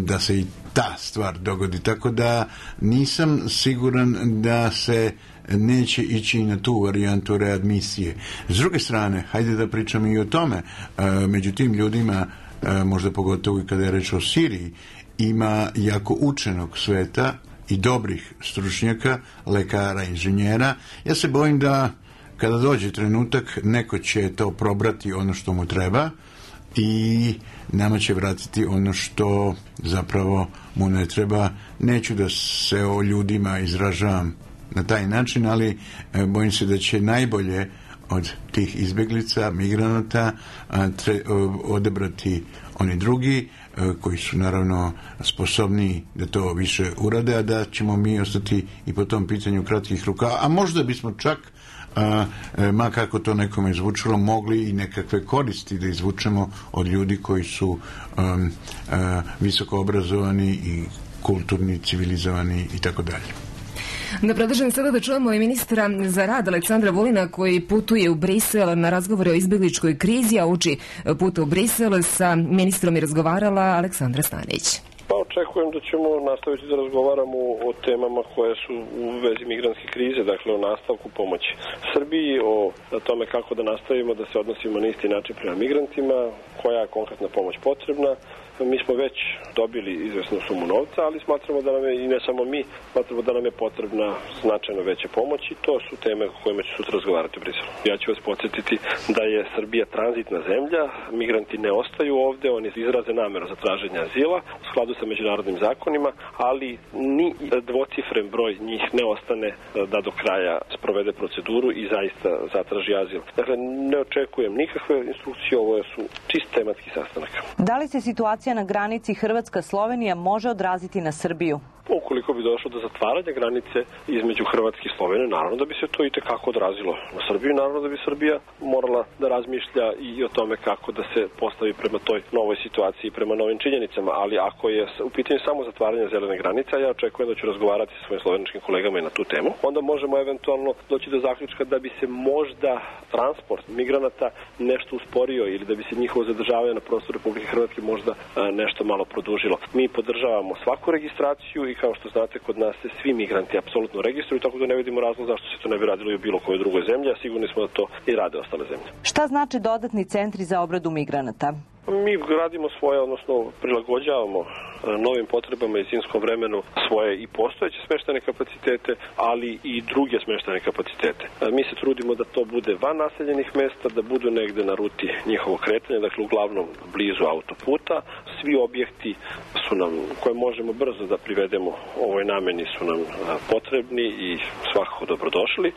da se i ta stvar dogodi. Tako da nisam siguran da se neće ići na tu varijantu readmisije. S druge strane, hajde da pričamo i o tome. Među tim ljudima, možda pogotovo i kada je reč o Siriji, ima jako učenog sveta i dobrih stručnjaka, lekara, inženjera. Ja se bojim da kada dođe trenutak, neko će to probrati ono što mu treba i nama će vratiti ono što zapravo mu ne treba. Neću da se o ljudima izražavam na taj način, ali bojim se da će najbolje od tih izbjeglica, migranata odebrati oni drugi koji su naravno sposobni da to više urade, a da ćemo mi ostati i po tom pitanju kratkih ruka, a možda bismo čak ma kako to nekome izvučilo, mogli i nekakve koristi da izvučemo od ljudi koji su visoko obrazovani i kulturni, civilizovani i tako dalje. Da predlažem sada da čujemo i ministra za rad Aleksandra Vulina koji putuje u Brisel na razgovore o izbjegličkoj krizi, a uči puta u Brisel sa ministrom je razgovarala Aleksandra Stanić. Pa očekujem da ćemo nastaviti da razgovaramo o temama koje su u vezi migrantske krize, dakle o nastavku pomoći Srbiji, o tome kako da nastavimo da se odnosimo na isti način prema migrantima, koja je konkretna pomoć potrebna. Mi smo već dobili izvesnu sumu novca, ali smatramo da nam je, i ne samo mi, smatramo da nam je potrebna značajno veća pomoć i to su teme o kojima ću sutra razgovarati u Briselu. Ja ću vas podsjetiti da je Srbija tranzitna zemlja, migranti ne ostaju ovde, oni izraze nameru za traženje azila u skladu sa međunarodnim zakonima, ali ni dvocifren broj njih ne ostane da do kraja sprovede proceduru i zaista zatraži azil. Dakle, ne očekujem nikakve instrukcije, ovo su čist tematski sastanak. Da li se situacija na granici Hrvatska-Slovenija može odraziti na Srbiju? Ukoliko bi došlo do zatvaranja granice između Hrvatske i Slovenije, naravno da bi se to i tekako odrazilo na Srbiju, naravno da bi Srbija morala da razmišlja i o tome kako da se postavi prema toj novoj situaciji, prema novim činjenicama, ali ako je u pitanju samo zatvaranje zelene granice, ja očekujem da ću razgovarati sa svojim sloveničkim kolegama i na tu temu, onda možemo eventualno doći do zaključka da bi se možda transport migranata nešto usporio ili da bi se njihovo zadržavanje na prostoru Republike Hrvatske možda nešto malo produžilo. Mi podržavamo svaku registraciju i kao što znate, kod nas se svi migranti apsolutno registruju, tako da ne vidimo razlog zašto se to ne bi radilo i u bilo kojoj drugoj zemlji, a sigurni smo da to i rade ostale zemlje. Šta znači dodatni centri za obradu migranata? Mi gradimo svoje, odnosno prilagođavamo novim potrebama i zimskom vremenu svoje i postojeće smeštajne kapacitete, ali i druge smeštajne kapacitete. Mi se trudimo da to bude van naseljenih mesta, da budu negde na ruti njihovog kretanja, dakle uglavnom blizu autoputa. Svi objekti su nam, koje možemo brzo da privedemo ovoj nameni, su nam potrebni i svakako dobrodošli.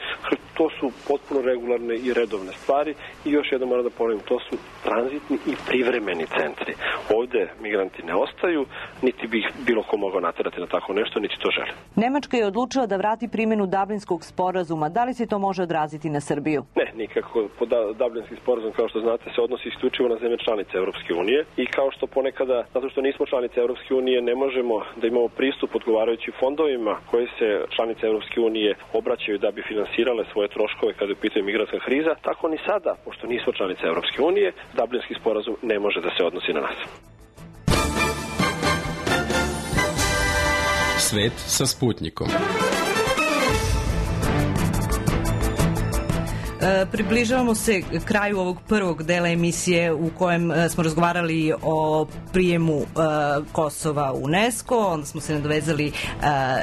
To su potpuno regularne i redovne stvari i još jednom moram da ponovim, to su tranzitni i privremeni centri. Ovde migranti ne ostaju, niti bi ih bilo ko mogao naterati na tako nešto, niti to žele. Nemačka je odlučila da vrati primjenu Dublinskog sporazuma. Da li se to može odraziti na Srbiju? Ne, nikako. Dublinski sporazum, kao što znate, se odnosi isključivo na zemlje članice Evropske unije i kao što ponekada, zato što nismo članice Evropske unije, ne možemo da imamo pristup odgovarajućim fondovima koje se članice Evropske unije obraćaju da bi finansirale svoje troškove kada je u pitanju migrantska kriza, tako ni sada, pošto nismo članice Evropske unije, Dublinski sporazum ne može da se odnosi na nas. Svet sa Sputnikom. Približavamo se kraju ovog prvog dela emisije u kojem smo razgovarali o prijemu Kosova u UNESCO, onda smo se nadovezali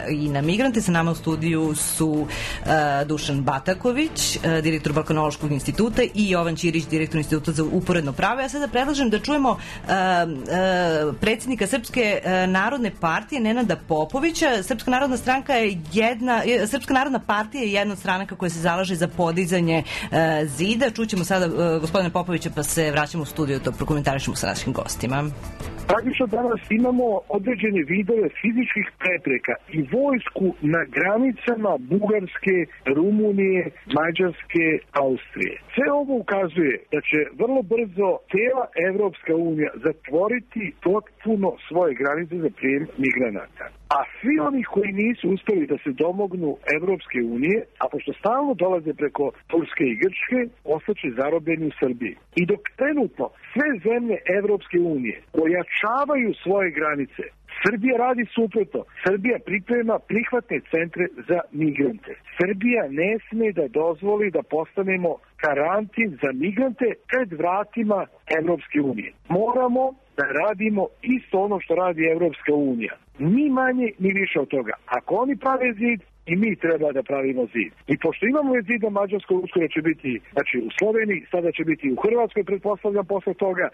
i na migrante. Sa nama u studiju su Dušan Bataković, direktor Balkanološkog instituta i Jovan Ćirić, direktor Instituta za uporedno pravo. Ja sada predlažem da čujemo predsjednika Srpske narodne partije Nenada Popovića. Srpska narodna partija je jedna od stranaka koja se zalaže za podizanje zida. Čućemo sada gospodine Popovića, pa se vraćamo u studiju da prokomentarišemo sa našim gostima. Praktično danas imamo određene vidove fizičkih prepreka i vojsku na granicama Bugarske, Rumunije, Mađarske, Austrije. Sve ovo ukazuje da će vrlo brzo cijela Evropska unija zatvoriti potpuno svoje granice za prijem migranata. A svi oni koji nisu uspeli da se domognu Evropske unije, a pošto stalno dolaze preko Turske i Grčke, ostaće zarobljeni u Srbiji. I dok trenutno sve zemlje Evropske unije pojačavaju svoje granice, Srbija radi suprotno. Srbija priprema prihvatne centre za migrante. Srbija ne sme da dozvoli da postanemo karantin za migrante pred vratima Evropske unije. Moramo da radimo isto ono što radi Evropska unija. Ni manje, ni više od toga. Ako oni prave zid, i mi treba da pravimo zid. I pošto imamo zid na Mađarskoj, uskoro će biti, znači u Sloveniji, sada će biti u Hrvatskoj, pretpostavljam posle toga,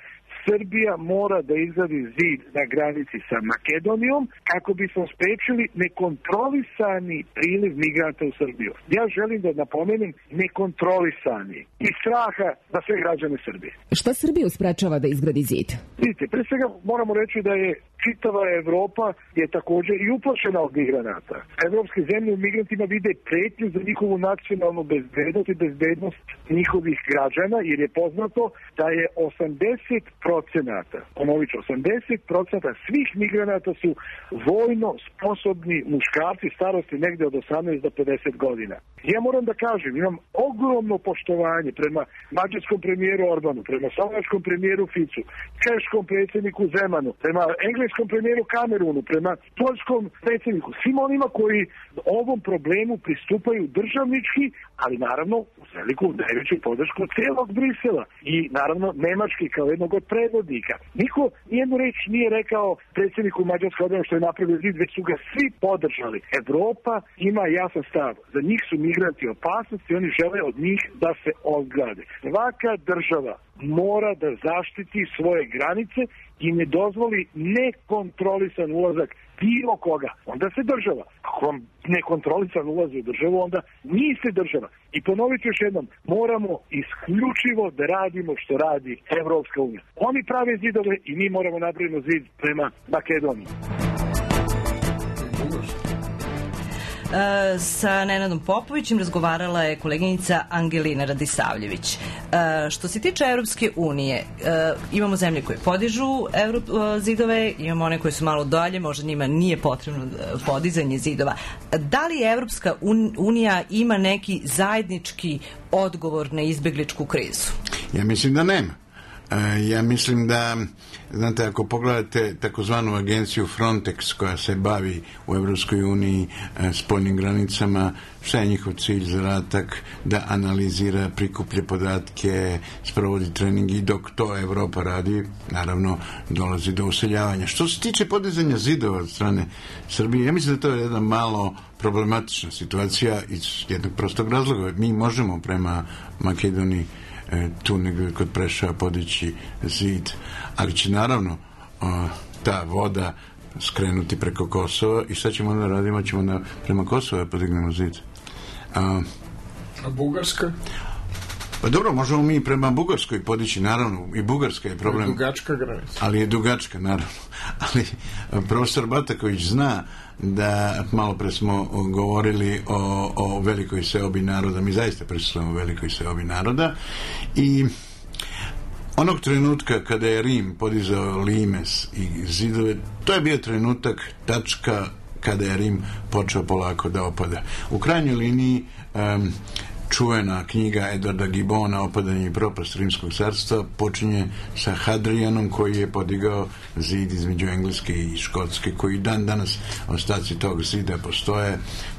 Srbija mora da izgradi zid na granici sa Makedonijom kako bismo sprečili nekontrolisani priliv migranta u Srbiju. Ja želim da napomenem nekontrolisani i straha za sve građane Srbije. Šta Srbiju sprečava da izgradi zid? Vidite, pre svega moramo reći da je čitava Evropa je također i uplašena od migranata. Evropske zemlje u migrantima vide pretnju za njihovu nacionalnu bezbednost i bezbednost njihovih građana, jer je poznato da je 80%, ponovit ću, 80% svih migranata su vojno sposobni muškarci starosti negde od 18 do 50 godina. Ja moram da kažem, imam ogromno poštovanje prema mađarskom premijeru Orbanu, prema slovačkom premijeru Ficu, češkom predsjedniku Zemanu, prema engleskom premijeru Kamerunu, prema poljskom predsjedniku, svim onima koji ovom problemu pristupaju državnički, ali naravno uz veliku najveću podršku cijelog Brisela i naravno Nemački kao jednog od predvodnika. Niko nijednu reč nije rekao predsjedniku Mađarske odbrane što je napravio zid, već su ga svi podržali. Evropa ima jasan stav. Za njih su migranti opasnosti i oni žele od njih da se odgrade. Svaka država mora da zaštiti svoje granice i ne dozvoli nekontrolisan ulazak bilo koga. Onda se država. Ako vam nekontrolisan ulazi u državu, onda niste država. I ponoviti još jednom, moramo isključivo da radimo što radi Evropska unija. Oni prave zidove i mi moramo napraviti zid prema Makedoniji. Sa Nenadom Popovićem razgovarala je koleginica Angelina Radisavljević. Što se tiče Evropske unije, imamo zemlje koje podižu zidove, imamo one koje su malo dalje, možda njima nije potrebno podizanje zidova. Da li Evropska unija ima neki zajednički odgovor na izbegličku krizu? Ja mislim da nema. Ja mislim da, znate, ako pogledate takozvanu agenciju Frontex koja se bavi u Evropskoj uniji spoljnim granicama, šta je njihov cilj, zadatak? Da analizira, prikuplje podatke, sprovodi trening i dok to Evropa radi, naravno dolazi do useljavanja. Što se tiče podizanja zidova od strane Srbije, ja mislim da to je jedna malo problematična situacija iz jednog prostog razloga. Mi možemo prema Makedoniji tu negdje kod Preševa podići zid, ali će naravno ta voda skrenuti preko Kosova i šta ćemo onda radimo? Ćemo prema Kosova podignemo zid. A Bugarska? Pa dobro, možemo mi prema Bugarskoj podići, naravno, i Bugarska je problem. Dugačka granica. Ali je dugačka, naravno. Ali profesor Bataković zna da malo pre smo govorili o velikoj seobi naroda. Mi zaista prisustvujemo velikoj seobi naroda i onog trenutka kada je Rim podizao limes i zidove, to je bio trenutak, tačka kada je Rim počeo polako da opada. U krajnjoj liniji čuvena knjiga Edvarda Gibona Opadanje i propast Rimskog carstva počinje sa Hadrianom koji je podigao zid između Engleske i Škotske, koji dan danas ostaci tog zida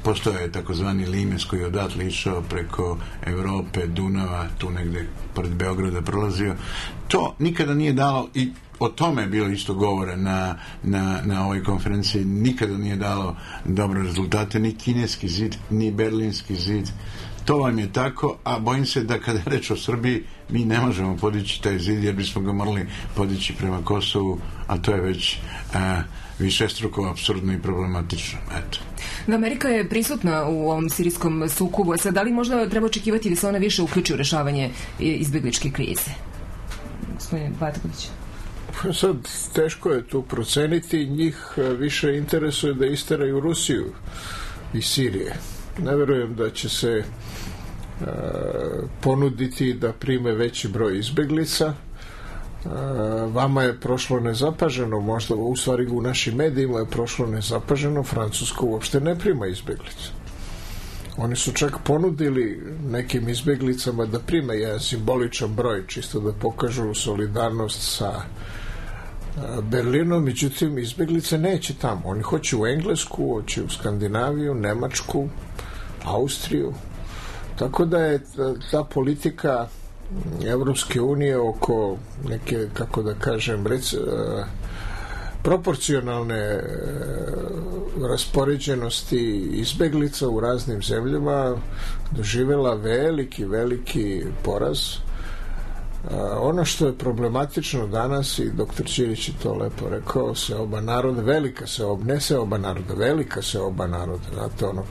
postoje je takozvani limes koji je odatle išao preko Europe, Dunava, tu negde pored Beograda prolazio. To nikada nije dalo, i o tome je bilo isto govore na ovoj konferenciji, nikada nije dalo dobre rezultate, ni kineski zid, ni berlinski zid. to vam je tako, a bojim se da kada je reč o Srbiji, mi ne možemo podići taj zid, jer bismo ga morali podići prema Kosovu, a to je već višestruko apsurdno i problematično. Eto. Amerika je prisutna u ovom sirijskom sukobu. Sad, da li možda treba očekivati da se ona više uključi u rešavanje izbegličke krize? Gospodine Batković. Sad, teško je tu proceniti. Njih više interesuje da isteraju Rusiju iz Sirije. Ne verujem da će se ponuditi da prime veći broj izbeglica. Vama je prošlo nezapaženo, možda u stvari u našim medijima je prošlo nezapaženo, Francuska uopšte ne prima izbeglice. Oni su čak ponudili nekim izbeglicama da prime jedan simboličan broj, čisto da pokažu solidarnost sa Berlinom, međutim izbeglice neće tamo. Oni hoće u Englesku, hoće u Skandinaviju, Nemačku, Austriju. Tako da je ta politika Evropske unije oko neke, kako da kažem, proporcionalne raspoređenosti izbeglica u raznim zemljama doživjela veliki poraz. Ono što je problematično danas, i doktor Ćirić je to lepo rekao, seoba naroda, velika seoba naroda, znate, ono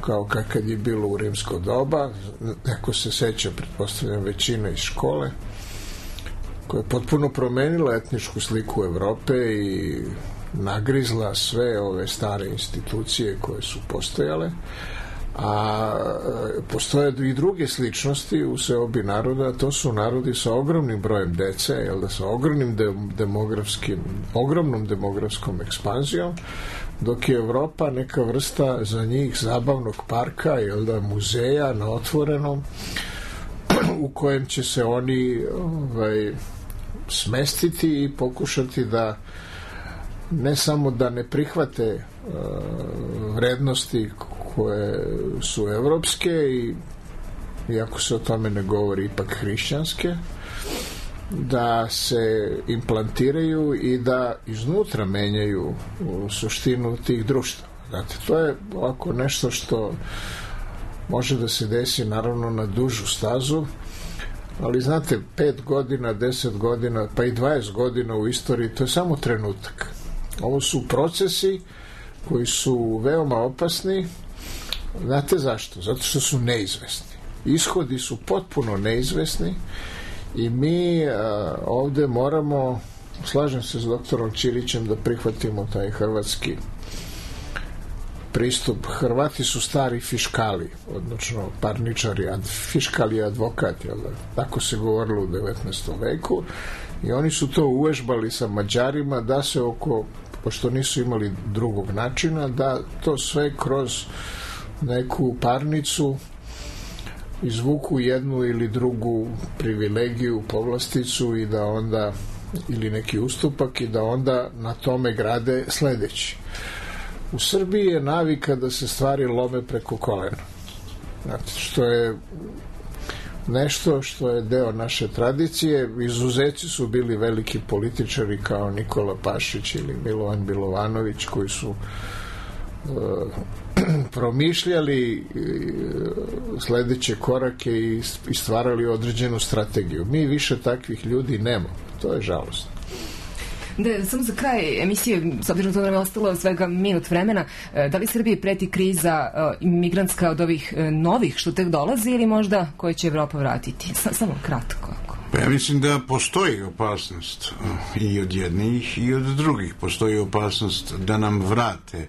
kao kad je bilo u rimsko doba, neko se seća, pretpostavljam, većina iz škole, koja je potpuno promenila etničku sliku Evrope i nagrizla sve ove stare institucije koje su postojale, a postoje i druge sličnosti u seobi naroda, to su narodi sa ogromnim brojem dece, sa ogromnom demografskom ekspanzijom, dok je Evropa neka vrsta za njih zabavnog parka, muzeja na otvorenom, u kojem će se oni smestiti i pokušati da ne samo da ne prihvate vrednosti koje su evropske, i iako se o tome ne govori, ipak hrišćanske, da se implantiraju i da iznutra menjaju suštinu tih društva. Znate, to je ovako nešto što može da se desi naravno na dužu stazu, ali znate, 5 godina, 10 godina, pa i 20 godina u istoriji, to je samo trenutak. Ovo su procesi koji su veoma opasni. Znate zašto? Zato što su neizvesni. Ishodi su potpuno neizvesni i mi ovde moramo, slažem se s doktorom Ćirićem, da prihvatimo taj hrvatski pristup. Hrvati su stari fiškali, odnosno parničari, fiškal je advokat, jel da? Tako se govorilo u 19. veku, i oni su to uvežbali sa Mađarima da se pošto nisu imali drugog načina, da to sve kroz neku parnicu izvuku jednu ili drugu privilegiju, povlasticu, i da onda, ili neki ustupak, i da onda na tome grade sledeći. U Srbiji je navika da se stvari lome preko kolena. Znate, što je nešto što je deo naše tradicije. Izuzeci su bili veliki političari kao Nikola Pašić ili Milovan Milovanović, koji su promišljali sledeće korake i stvarali određenu strategiju. Mi više takvih ljudi nemamo. To je žalostno. Da, samo za kraj emisije, s obzirom da nam je ostalo svega minut vremena, da li Srbiji preti kriza imigrantska od ovih novih što tek dolazi, ili možda koje će Evropa vratiti? Samo kratko. Pa ja mislim da postoji opasnost i od jednih i od drugih. Postoji opasnost da nam vrate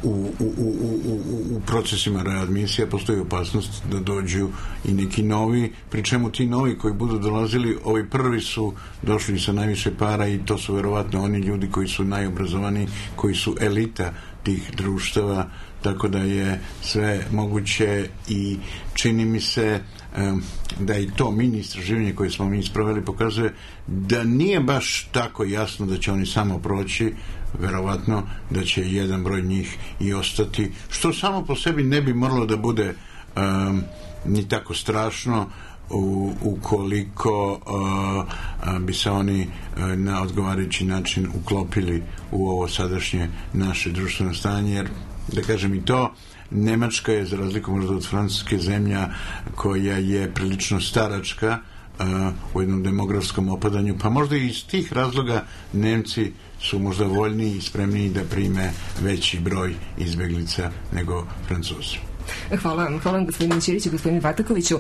u procesima readmisija, postoji opasnost da dođu i neki novi, pri čemu ti novi koji budu dolazili, ovi prvi su došli sa najviše para, i to su verovatno oni ljudi koji su najobrazovaniji, koji su elita tih društava, tako da je sve moguće, i čini mi se da i to mini istraživanje koje smo mi sproveli pokazuje da nije baš tako jasno da će oni samo proći, verovatno da će jedan broj njih i ostati, što samo po sebi ne bi moralo da bude ni tako strašno ukoliko bi se oni na odgovarajući način uklopili u ovo sadašnje naše društveno stanje, jer da kažem i to, Nemačka je, za razliku možda od Francuske, zemlja koja je prilično staračka u jednom demografskom opadanju, pa možda i iz tih razloga Nemci su možda voljniji i spremniji da prime veći broj izbeglica nego Francuzi. Hvala vam gospodine Ćiriću, gospodine Batakoviću.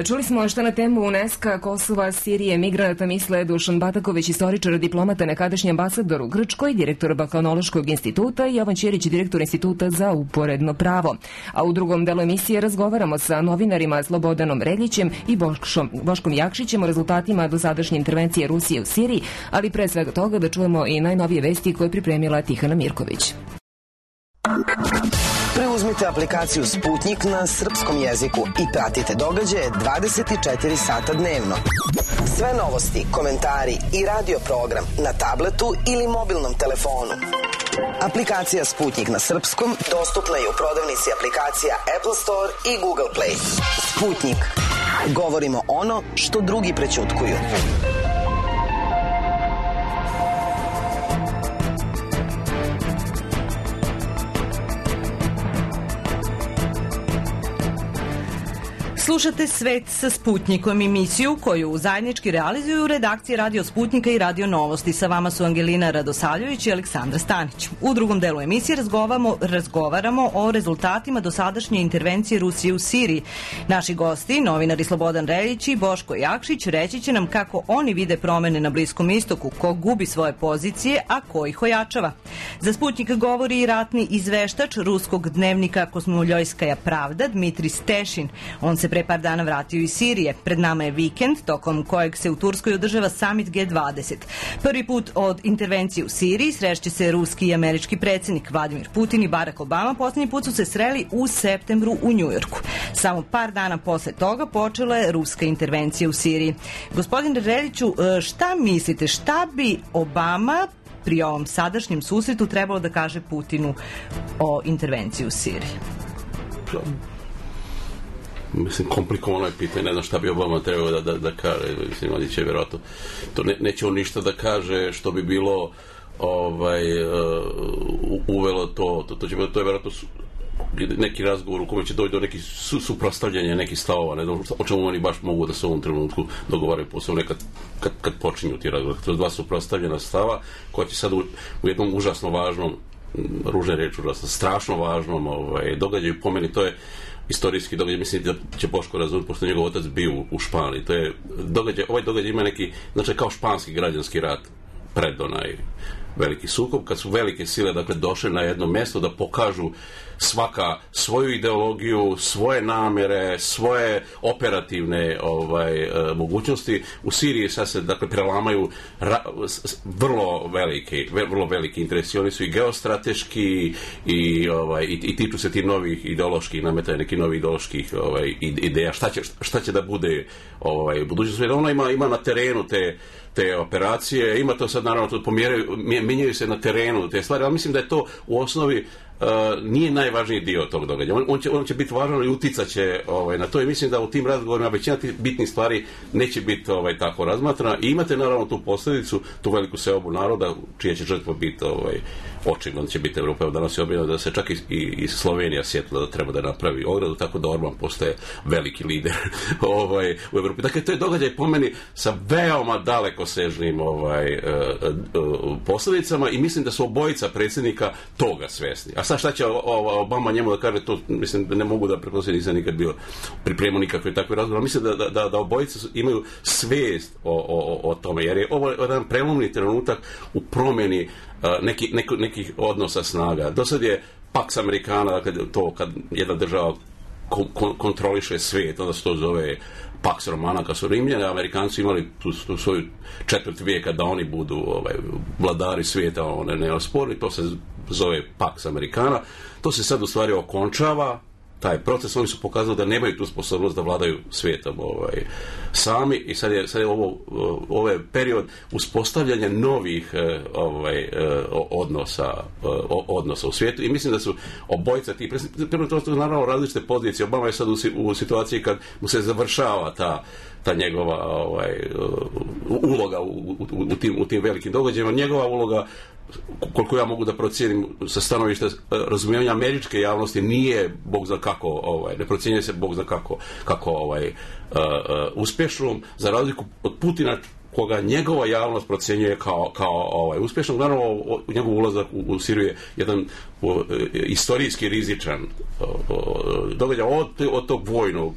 Čuli smo što na temu UNESCO, Kosova, Sirije, migranata misle Dušan Bataković, istoričar, diplomata, nekadašnji ambasador u Grčkoj, direktor Balkanološkog instituta, i Jovan Ćirić, direktor Instituta za uporedno pravo. A u drugom delu emisije razgovaramo sa novinarima Slobodanom Reljićem i Boškom Jakšićem o rezultatima dosadašnje intervencije Rusije u Siriji, ali pre svega toga da čujemo i najnovije vesti koje je pripremila Tihana Mirković. Preuzmite aplikaciju Sputnik na srpskom jeziku i pratite događaje 24 sata dnevno. Sve novosti, komentari i radio program na tabletu ili mobilnom telefonu. Aplikacija Sputnik na srpskom dostupna je u prodavnici aplikacija Apple Store i Google Play. Sputnik. Govorimo ono što drugi prećutkuju. Slušate Svet sa Sputnikom, emisiju koju zajednički realizuju redakcije Radio Sputnika i Radio Novosti. Sa vama su Angelina Radosavljević i Aleksandra Stanić. U drugom delu emisije razgovaramo o rezultatima dosadašnje intervencije Rusije u Siriji. Naši gosti, novinari Slobodan Reljić i Boško Jakšić, reći će nam kako oni vide promene na Bliskom istoku, ko gubi svoje pozicije, a ko ih ojačava. Za Sputnik govori i ratni izveštač ruskog dnevnika Kosmoljojskaja pravda Dmitrij Stešin. On se pre par dana vratio iz Sirije. Pred nama je vikend, tokom kojeg se u Turskoj održava summit G20. Prvi put od intervencije u Siriji srešće se ruski i američki predsjednik Vladimir Putin i Barack Obama. Poslednji put su se sreli u septembru u Njujorku. Samo par dana posle toga počela je ruska intervencija u Siriji. Gospodine Reljiću, šta mislite, šta bi Obama pri ovom sadašnjem susretu trebalo da kaže Putinu o intervenciji u Siriji? Mislim, komplikovano je pitanje, ne znam šta bi Obama trebao da kaže, mislim, oni će vjerojatno, to neće on ništa da kaže što bi bilo uvelo to je vjerojatno neki razgovor u kome će doći do nekih suprotstavljanja nekih stavova, ne znam o čemu oni baš mogu da se u ovom trenutku dogovaraju, posebno kad počinju ti razgovor. To je dva suprotstavljena stava koja će sad u jednom užasno važnom, ružne reči, strašno važnom događaju, po meni to je istorijski događaj, mislim da će Boško razumjeti, pošto njegov otac bio u Španiji. To je događaj, ovaj događaj ima neki, znači kao španski građanski rat pred onaj veliki sukob, kad su velike sile dakle došle na jedno mjesto da pokažu svaka svoju ideologiju, svoje namjere, svoje operativne mogućnosti. U Siriji sad se dakle prelamaju vrlo veliki interesi. Oni su i geostrateški i tiču se ti novih ideoloških nametanja, neki novi ideoloških ideja. Šta će da bude budućnost? Ona ima na terenu te operacije, ima to sad naravno, mijenjaju se na terenu te stvari, ali mislim da je to u osnovi nije najvažniji dio tog događaja. On će biti važan i uticat će na to, i mislim da u tim razgovorima većina tih bitnih stvari neće biti tako razmatrana, i imate naravno tu posljedicu, tu veliku seobu naroda čija će žrtva biti očigledno će biti Evropa. Evo danas je objavljeno da se čak i Slovenija sjetila da treba da napravi ogradu, tako da Orban postaje veliki lider u Evropi. Dakle, to je događaj po meni sa veoma dalekosežnim posljedicama, i mislim da su obojica predsjednika toga svjesni. A sad šta će Obama njemu da kaže, to mislim da ne mogu da pretpostavljam, nisam nikad bio pripremio nikakve takve razgovore. Mislim da obojice imaju svijest o tome, jer je ovo jedan prelomni trenutak u promjeni nekih odnosa snaga. Do sad je Pax Americana, dakle to kad jedna država kontroliše svijet, onda se to zove Pax Romana, kad su Rimljani, Amerikanci imali tu svoju četvrt vijeka da oni budu vladari svijeta, neosporni, to se zove Pax Americana. To se sad u stvari okončava, taj proces. Oni su pokazali da nemaju tu sposobnost da vladaju svijetom sami, i sad je ovo je period uspostavljanja novih odnosa u svijetu, i mislim da su obojica ti to su naravno različite pozicije. Obama je sad u situaciji kad mu se završava ta njegova uloga u tim velikim događajima. Njegova uloga koliko ja mogu da procijenim sa stanovišta razumijevanja američke javnosti, nije bog zna kako, ne procjenjuje se bog zna kako uspješnom, za razliku od Putina, koga njegova javnost procjenjuje kao uspješnog. Naravno, njegov ulazak u Siriju je jedan istorijski rizičan događaj od tog vojnog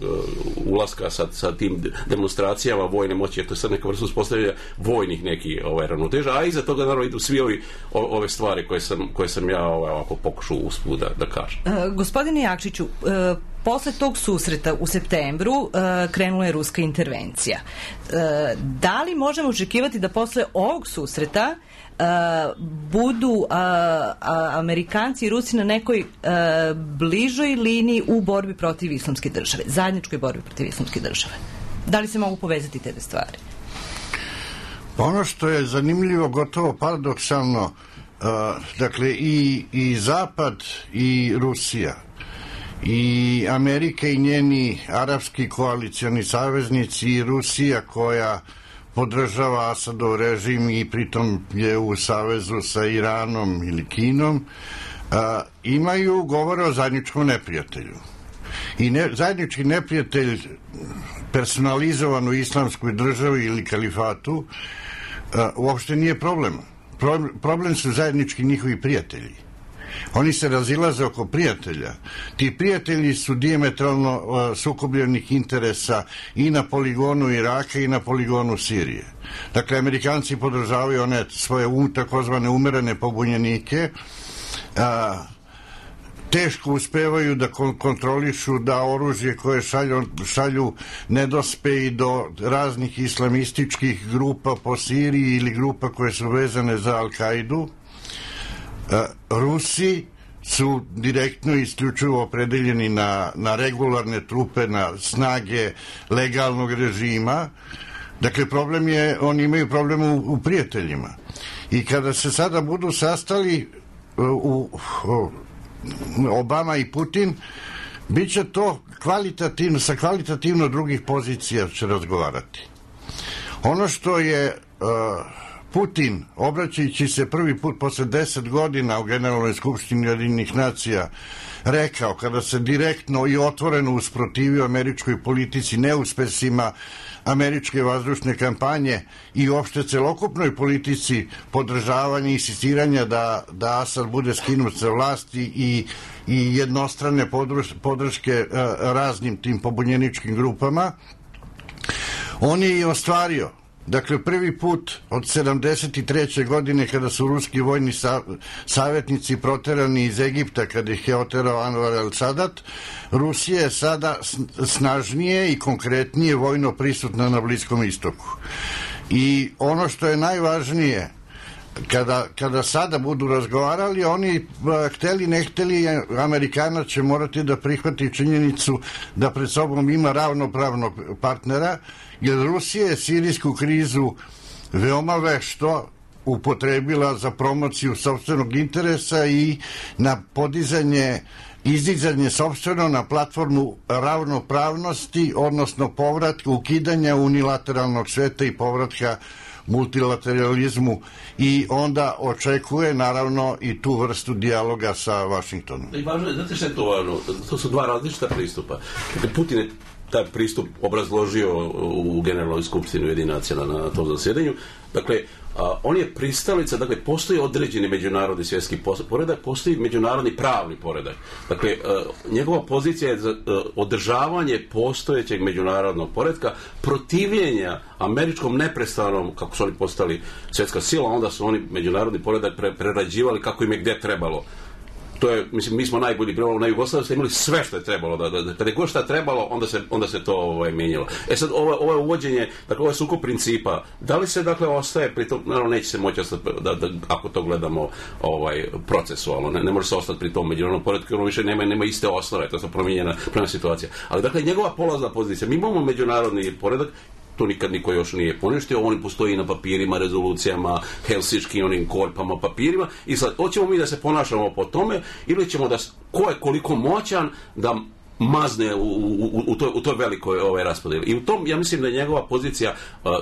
ulaska sa tim demonstracijama vojne moći, jer to je sad neka vrsta uspostavljanja vojnih nekih ravnoteža, a iza toga naravno idu svi ove stvari koje sam ja ovako pokušao usput da kažem. Gospodine Jakšiću, posle tog susreta u septembru krenula je ruska intervencija. Da li možemo očekivati da posle ovog susreta budu Amerikanci i Rusi na nekoj bližoj liniji u borbi protiv islamske države, zajedničkoj borbi protiv islamske države? Da li se mogu povezati te stvari? Ono što je zanimljivo, gotovo paradoksalno, dakle i Zapad i Rusija i Amerika i njeni arapski koalicioni saveznici i Rusija koja podržava Asadov režim i pritom je u savezu sa Iranom ili Kinom, imaju govore o zajedničkom neprijatelju. I zajednički neprijatelj personalizovan u islamskoj državi ili kalifatu uopšte nije problem. Problem su zajednički njihovi prijatelji. Oni se razilaze oko prijatelja. Ti prijatelji su dijametralno sukobljenih interesa i na poligonu Iraka i na poligonu Sirije. Dakle, Amerikanci podržavaju one svoje takozvane umerene pobunjenike, teško uspevaju da kontrolišu da oružje koje šalju ne dospe i do raznih islamističkih grupa po Siriji ili grupa koje su vezane za Al-Kaidu. Rusi su direktno i isključivo opredeljeni na regularne trupe, na snage legalnog režima. Dakle, problem je, oni imaju problem u prijateljima. I kada se sada budu sastali Obama i Putin, bit će to kvalitativno, sa kvalitativno drugih pozicija će razgovarati. Ono što je Putin, obraćajući se prvi put posle 10 godina u Generalnoj skupštini Ujedinjenih nacija, rekao, kada se direktno i otvoreno usprotivio američkoj politici, neuspesima američke vazdušne kampanje i uopšte celokupnoj politici podržavanja i insistiranja da Asad bude skinut sa vlasti i jednostrane podrške raznim tim pobunjeničkim grupama, on je i ostvario. Dakle, prvi put od 73. godine kada su ruski vojni savjetnici proterani iz Egipta, kada ih je oterao Anwar el-Sadat, Rusija je sada snažnije i konkretnije vojno prisutna na Bliskom istoku. I ono što je najvažnije, kada sada budu razgovarali, oni hteli ne hteli, Amerikanac će morati da prihvati činjenicu da pred sobom ima ravnopravnog partnera, jer Rusija je sirijsku krizu veoma vešto upotrebila za promociju sopstvenog interesa i na izdizanje sopstveno na platformu ravnopravnosti, odnosno povratka, ukidanja unilateralnog sveta i povratka multilateralizmu, i onda očekuje naravno i tu vrstu dijaloga sa Vašingtonom. I važno je, znate što je to važno? To su dva različita pristupa. Putin je taj pristup obrazložio u Generalnoj skupštini Ujedinjenih nacija na tom zasjedanju. Dakle, on je pristalica, dakle, postoji određeni međunarodni svjetski poredak, postoji međunarodni pravni poredak. Dakle, njegova pozicija je za održavanje postojećeg međunarodnog poretka, protivljenja američkom neprestanom, kako su oni postali svjetska sila, onda su oni međunarodni poredak prerađivali kako im je gdje trebalo. To je, mislim, mi smo najbolji primjer na Jugoslaviji, ste imali sve što je trebalo, kada je god šta trebalo, onda se to mijenjalo. Sad, ovo je uvođenje, dakle, ovo je sukob principa. Da li se, dakle, ostaje, pri tom, naravno, neće se moći ostati, ako to gledamo procesualno, ne može se ostati pri tom međunarodnom poretku, jer ono više nema iste osnove, to je promijenjena situacija. Ali, dakle, njegova polazna pozicija, mi imamo međunarodni poredak, to nikad niko još nije poništio, on postoji na papirima, rezolucijama, helsinškim onim korpama, papirima, i sad, hoćemo mi da se ponašamo po tome, ili ćemo da, ko je koliko moćan da mazne u toj velikoj raspodjeli. I u tom, ja mislim da je njegova pozicija,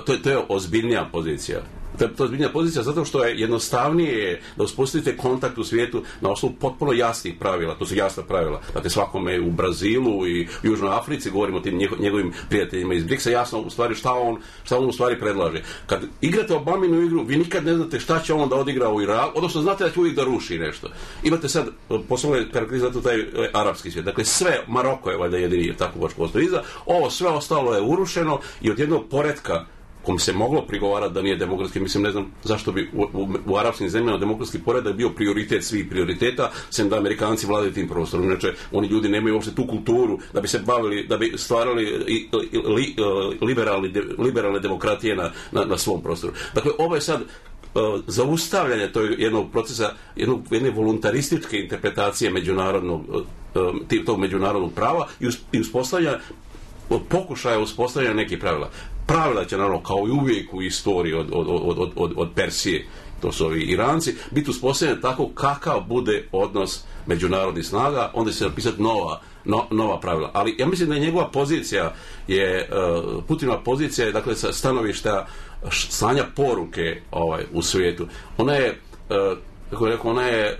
to je ozbiljnija pozicija. To je ozbiljna pozicija zato što je jednostavnije da uspostavite kontakt u svijetu na osnovu potpuno jasnih pravila. To su jasna pravila. Dakle, svakome u Brazilu i u Južnoj Africi, govorimo o tim njegovim prijateljima iz BRICS-a, jasno u stvari šta on u stvari predlaže. Kad igrate Obaminu igru, vi nikad ne znate šta će on da odigra u Iraku, odnosno znate da će uvijek da ruši nešto. Imate sad, posebno karakterizati taj arapski svijet. Dakle, sve, Maroko je valjda jedini tako baš postoji iza, ovo sve ostalo je urušeno i od jednog poretka kom se moglo prigovarati da nije demokratski, mislim, ne znam zašto bi u arapskim zemljama demokratski poredak bio prioritet svih prioriteta, sem da Amerikanci vladaju tim prostorom. Inače, oni ljudi nemaju uopšte tu kulturu da bi se bavili, da bi stvarali liberalne demokratije na svom prostoru. Dakle, ovo je sad zaustavljanje jednog procesa, jedne voluntarističke interpretacije tog međunarodnog prava i uspostavljanja, pokušaja uspostavljanja nekih pravila. Pravila će, naravno, kao i uvijek u istoriji od Persije, to su ovi Iranci, biti uspostavljen tako kakav bude odnos međunarodnih snaga, onda će se napisati nova pravila. Ali ja mislim da je njegova pozicija, Putinova pozicija je, dakle, sa stanovišta slanja poruke u svijetu. Ona je, kako je rekao, ona je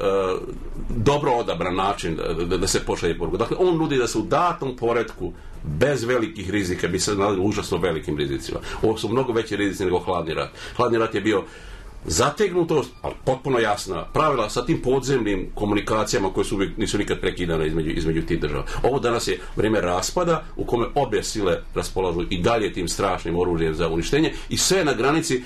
dobro odabran način da se pošalje poruka. Dakle, on nudi da se u datom poretku, bez velikih rizika, bi se nalazili užasno velikim rizicima. Ovo su mnogo veći rizici nego hladni rat. Hladni rat je bio zategnutost, ali potpuno jasna pravila sa tim podzemnim komunikacijama koje nisu nikad prekidane između tih država. Ovo danas je vrijeme raspada u kome obje sile raspolažu i dalje tim strašnim oružjem za uništenje i sve na granici,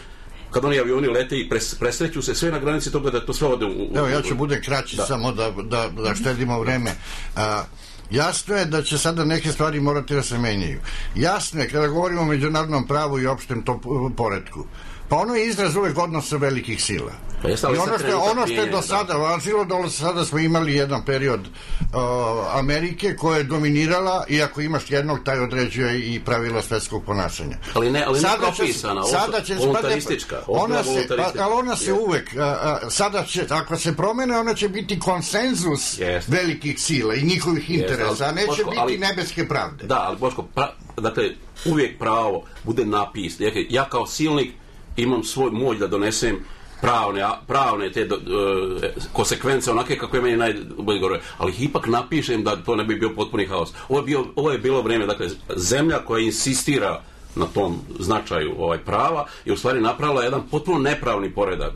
kad oni avioni lete i presreću se, sve na granici toga da to sve ode Evo, ja ću bude kraći samo da štedimo vreme. Jasno je da će sada neke stvari morati da se menjaju. Jasno je, kada govorimo o međunarodnom pravu i opštem poretku, pa ono je izraz uvek odnosa velikih sila. I ono što je do sada važilo, do sada smo imali jedan period Amerike koja je dominirala, i ako imaš jednog, taj određuje i pravila svetskog ponašanja. Ali ne propisana, voluntaristička. Ali ona se uvek, sada će, ako se promene, ona će biti konsenzus velikih sila i njihovih interesa, a neće biti nebeske pravde. Da, ali Boško, dakle, uvijek pravo bude napisano. Ja kao silnik imam svoj moć da donesem pravne te konsekvence onake kako je meni najbolje gore, ali ih ipak napišem da to ne bi bio potpuni haos. Ovo je bilo vrijeme, dakle, zemlja koja insistira na tom značaju prava je u stvari napravila jedan potpuno nepravni poredak.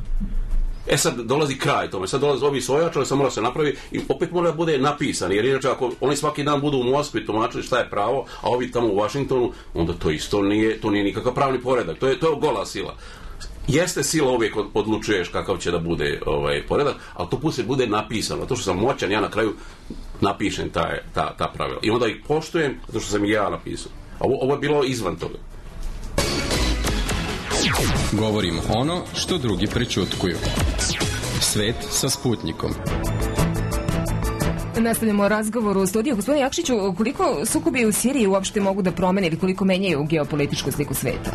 Sad dolazi kraj tome, sad dolazi ovi svojačali, sad mora se napravi i opet mora da bude napisan, jer inače ako oni svaki dan budu u Moskvi tumačili šta je pravo, a ovi tamo u Vašingtonu, onda to isto nije nikakav pravni poredak, to je gola sila. Jeste sila, uvijek odlučuješ kakav će da bude poredak, ali to put bude napisano. To što sam moćan, ja na kraju napišem ta pravila. I onda ih poštujem, zato što sam i ja napisao. Ovo je bilo izvan toga. Govorim ono što drugi prećutkuju. Svet sa Sputnikom. Nastavljamo razgovor u studiju. Gospodine Jakšiću, koliko sukobi u Siriji uopšte mogu da promene ili koliko menjaju geopolitičku sliku sveta?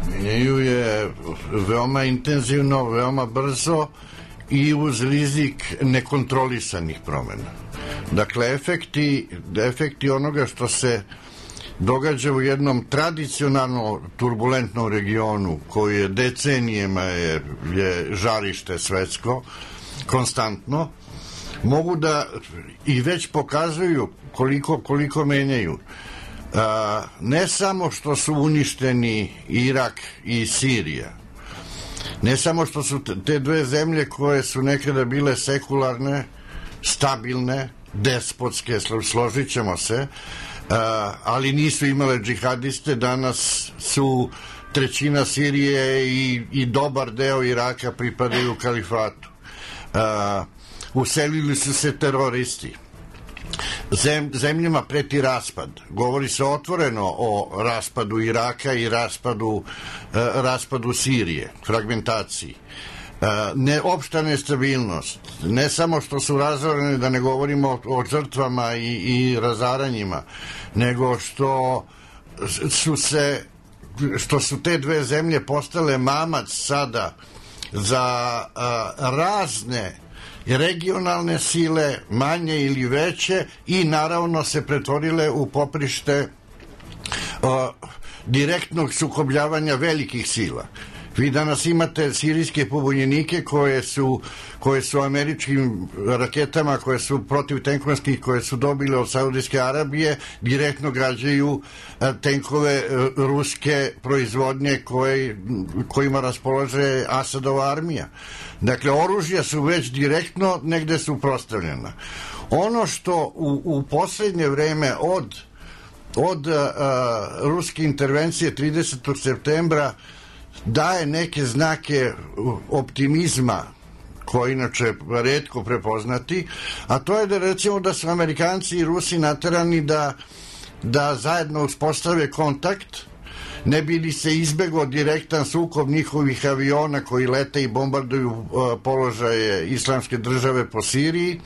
Menjaju je veoma intenzivno, veoma brzo i uz rizik nekontrolisanih promena. Dakle, efekti onoga što se događa u jednom tradicionalno turbulentnom regionu koji je decenijema je žarište svetsko, konstantno, mogu da i već pokazuju koliko menjaju. Ne samo što su uništeni Irak i Sirija, ne samo što su te dve zemlje koje su nekada bile sekularne, stabilne, despotske, složit ćemo se, ali nisu imale džihadiste, danas su trećina Sirije i dobar deo Iraka pripadaju kalifatu. Uselili su se teroristi. Zemljama preti raspad. Govori se otvoreno o raspadu Iraka i raspadu Sirije, fragmentaciji. Opšta nestabilnost. Ne samo što su razorene, da ne govorimo o žrtvama i razaranjima, nego što su te dve zemlje postale mamac sada za razne regionalne sile, manje ili veće, i naravno se pretvorile u poprište direktnog sukobljavanja velikih sila. Vi danas imate sirijske pobunjenike koje su američkim raketama, koje su protivtenkovskih, koje su dobile od Saudijske Arabije, direktno gađaju tenkove ruske proizvodnje kojima raspolaže Asadova armija. Dakle, oružja su već direktno negde suprotstavljena. Ono što u poslednje vreme od ruske intervencije 30. septembra daje neke znake optimizma koji inače retko prepoznati, a to je da recimo da su Amerikanci i Rusi naterani da zajedno uspostave kontakt, ne bi li se izbegao direktan sukob njihovih aviona koji lete i bombarduju položaje Islamske države po Siriji.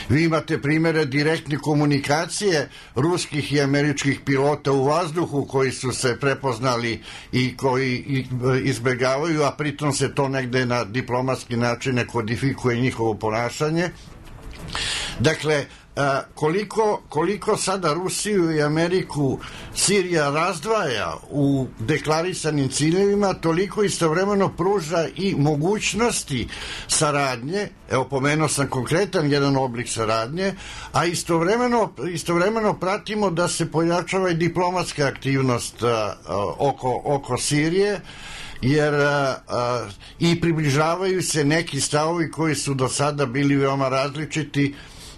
Vi imate primere direktne komunikacije ruskih i američkih pilota u vazduhu koji su se prepoznali i koji izbegavaju, a pritom se to negde na diplomatski način ne kodifikuje njihovo ponašanje. Dakle, koliko sada Rusiju i Ameriku Sirija razdvaja u deklarisanim ciljevima, toliko istovremeno pruža i mogućnosti saradnje. Evo, pomenuo sam konkretan jedan oblik saradnje, a istovremeno pratimo da se pojačava i diplomatska aktivnost oko Sirije, jer i približavaju se neki stavovi koji su do sada bili veoma različiti,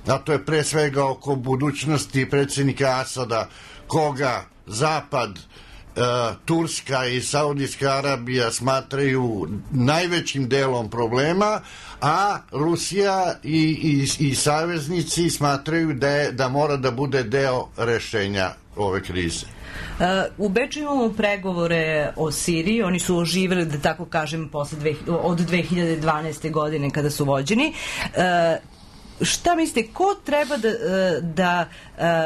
a to je pre svega oko budućnosti predsjednika Asada, koga Zapad, Turska i Saudijska Arabija smatraju najvećim delom problema, a Rusija i saveznici smatraju da mora da bude deo rešenja ove krize. U Beču imamo pregovore o Siriji, oni su oživjeli, da tako kažem, od 2012. godine kada su vođeni. Šta mislite, ko treba da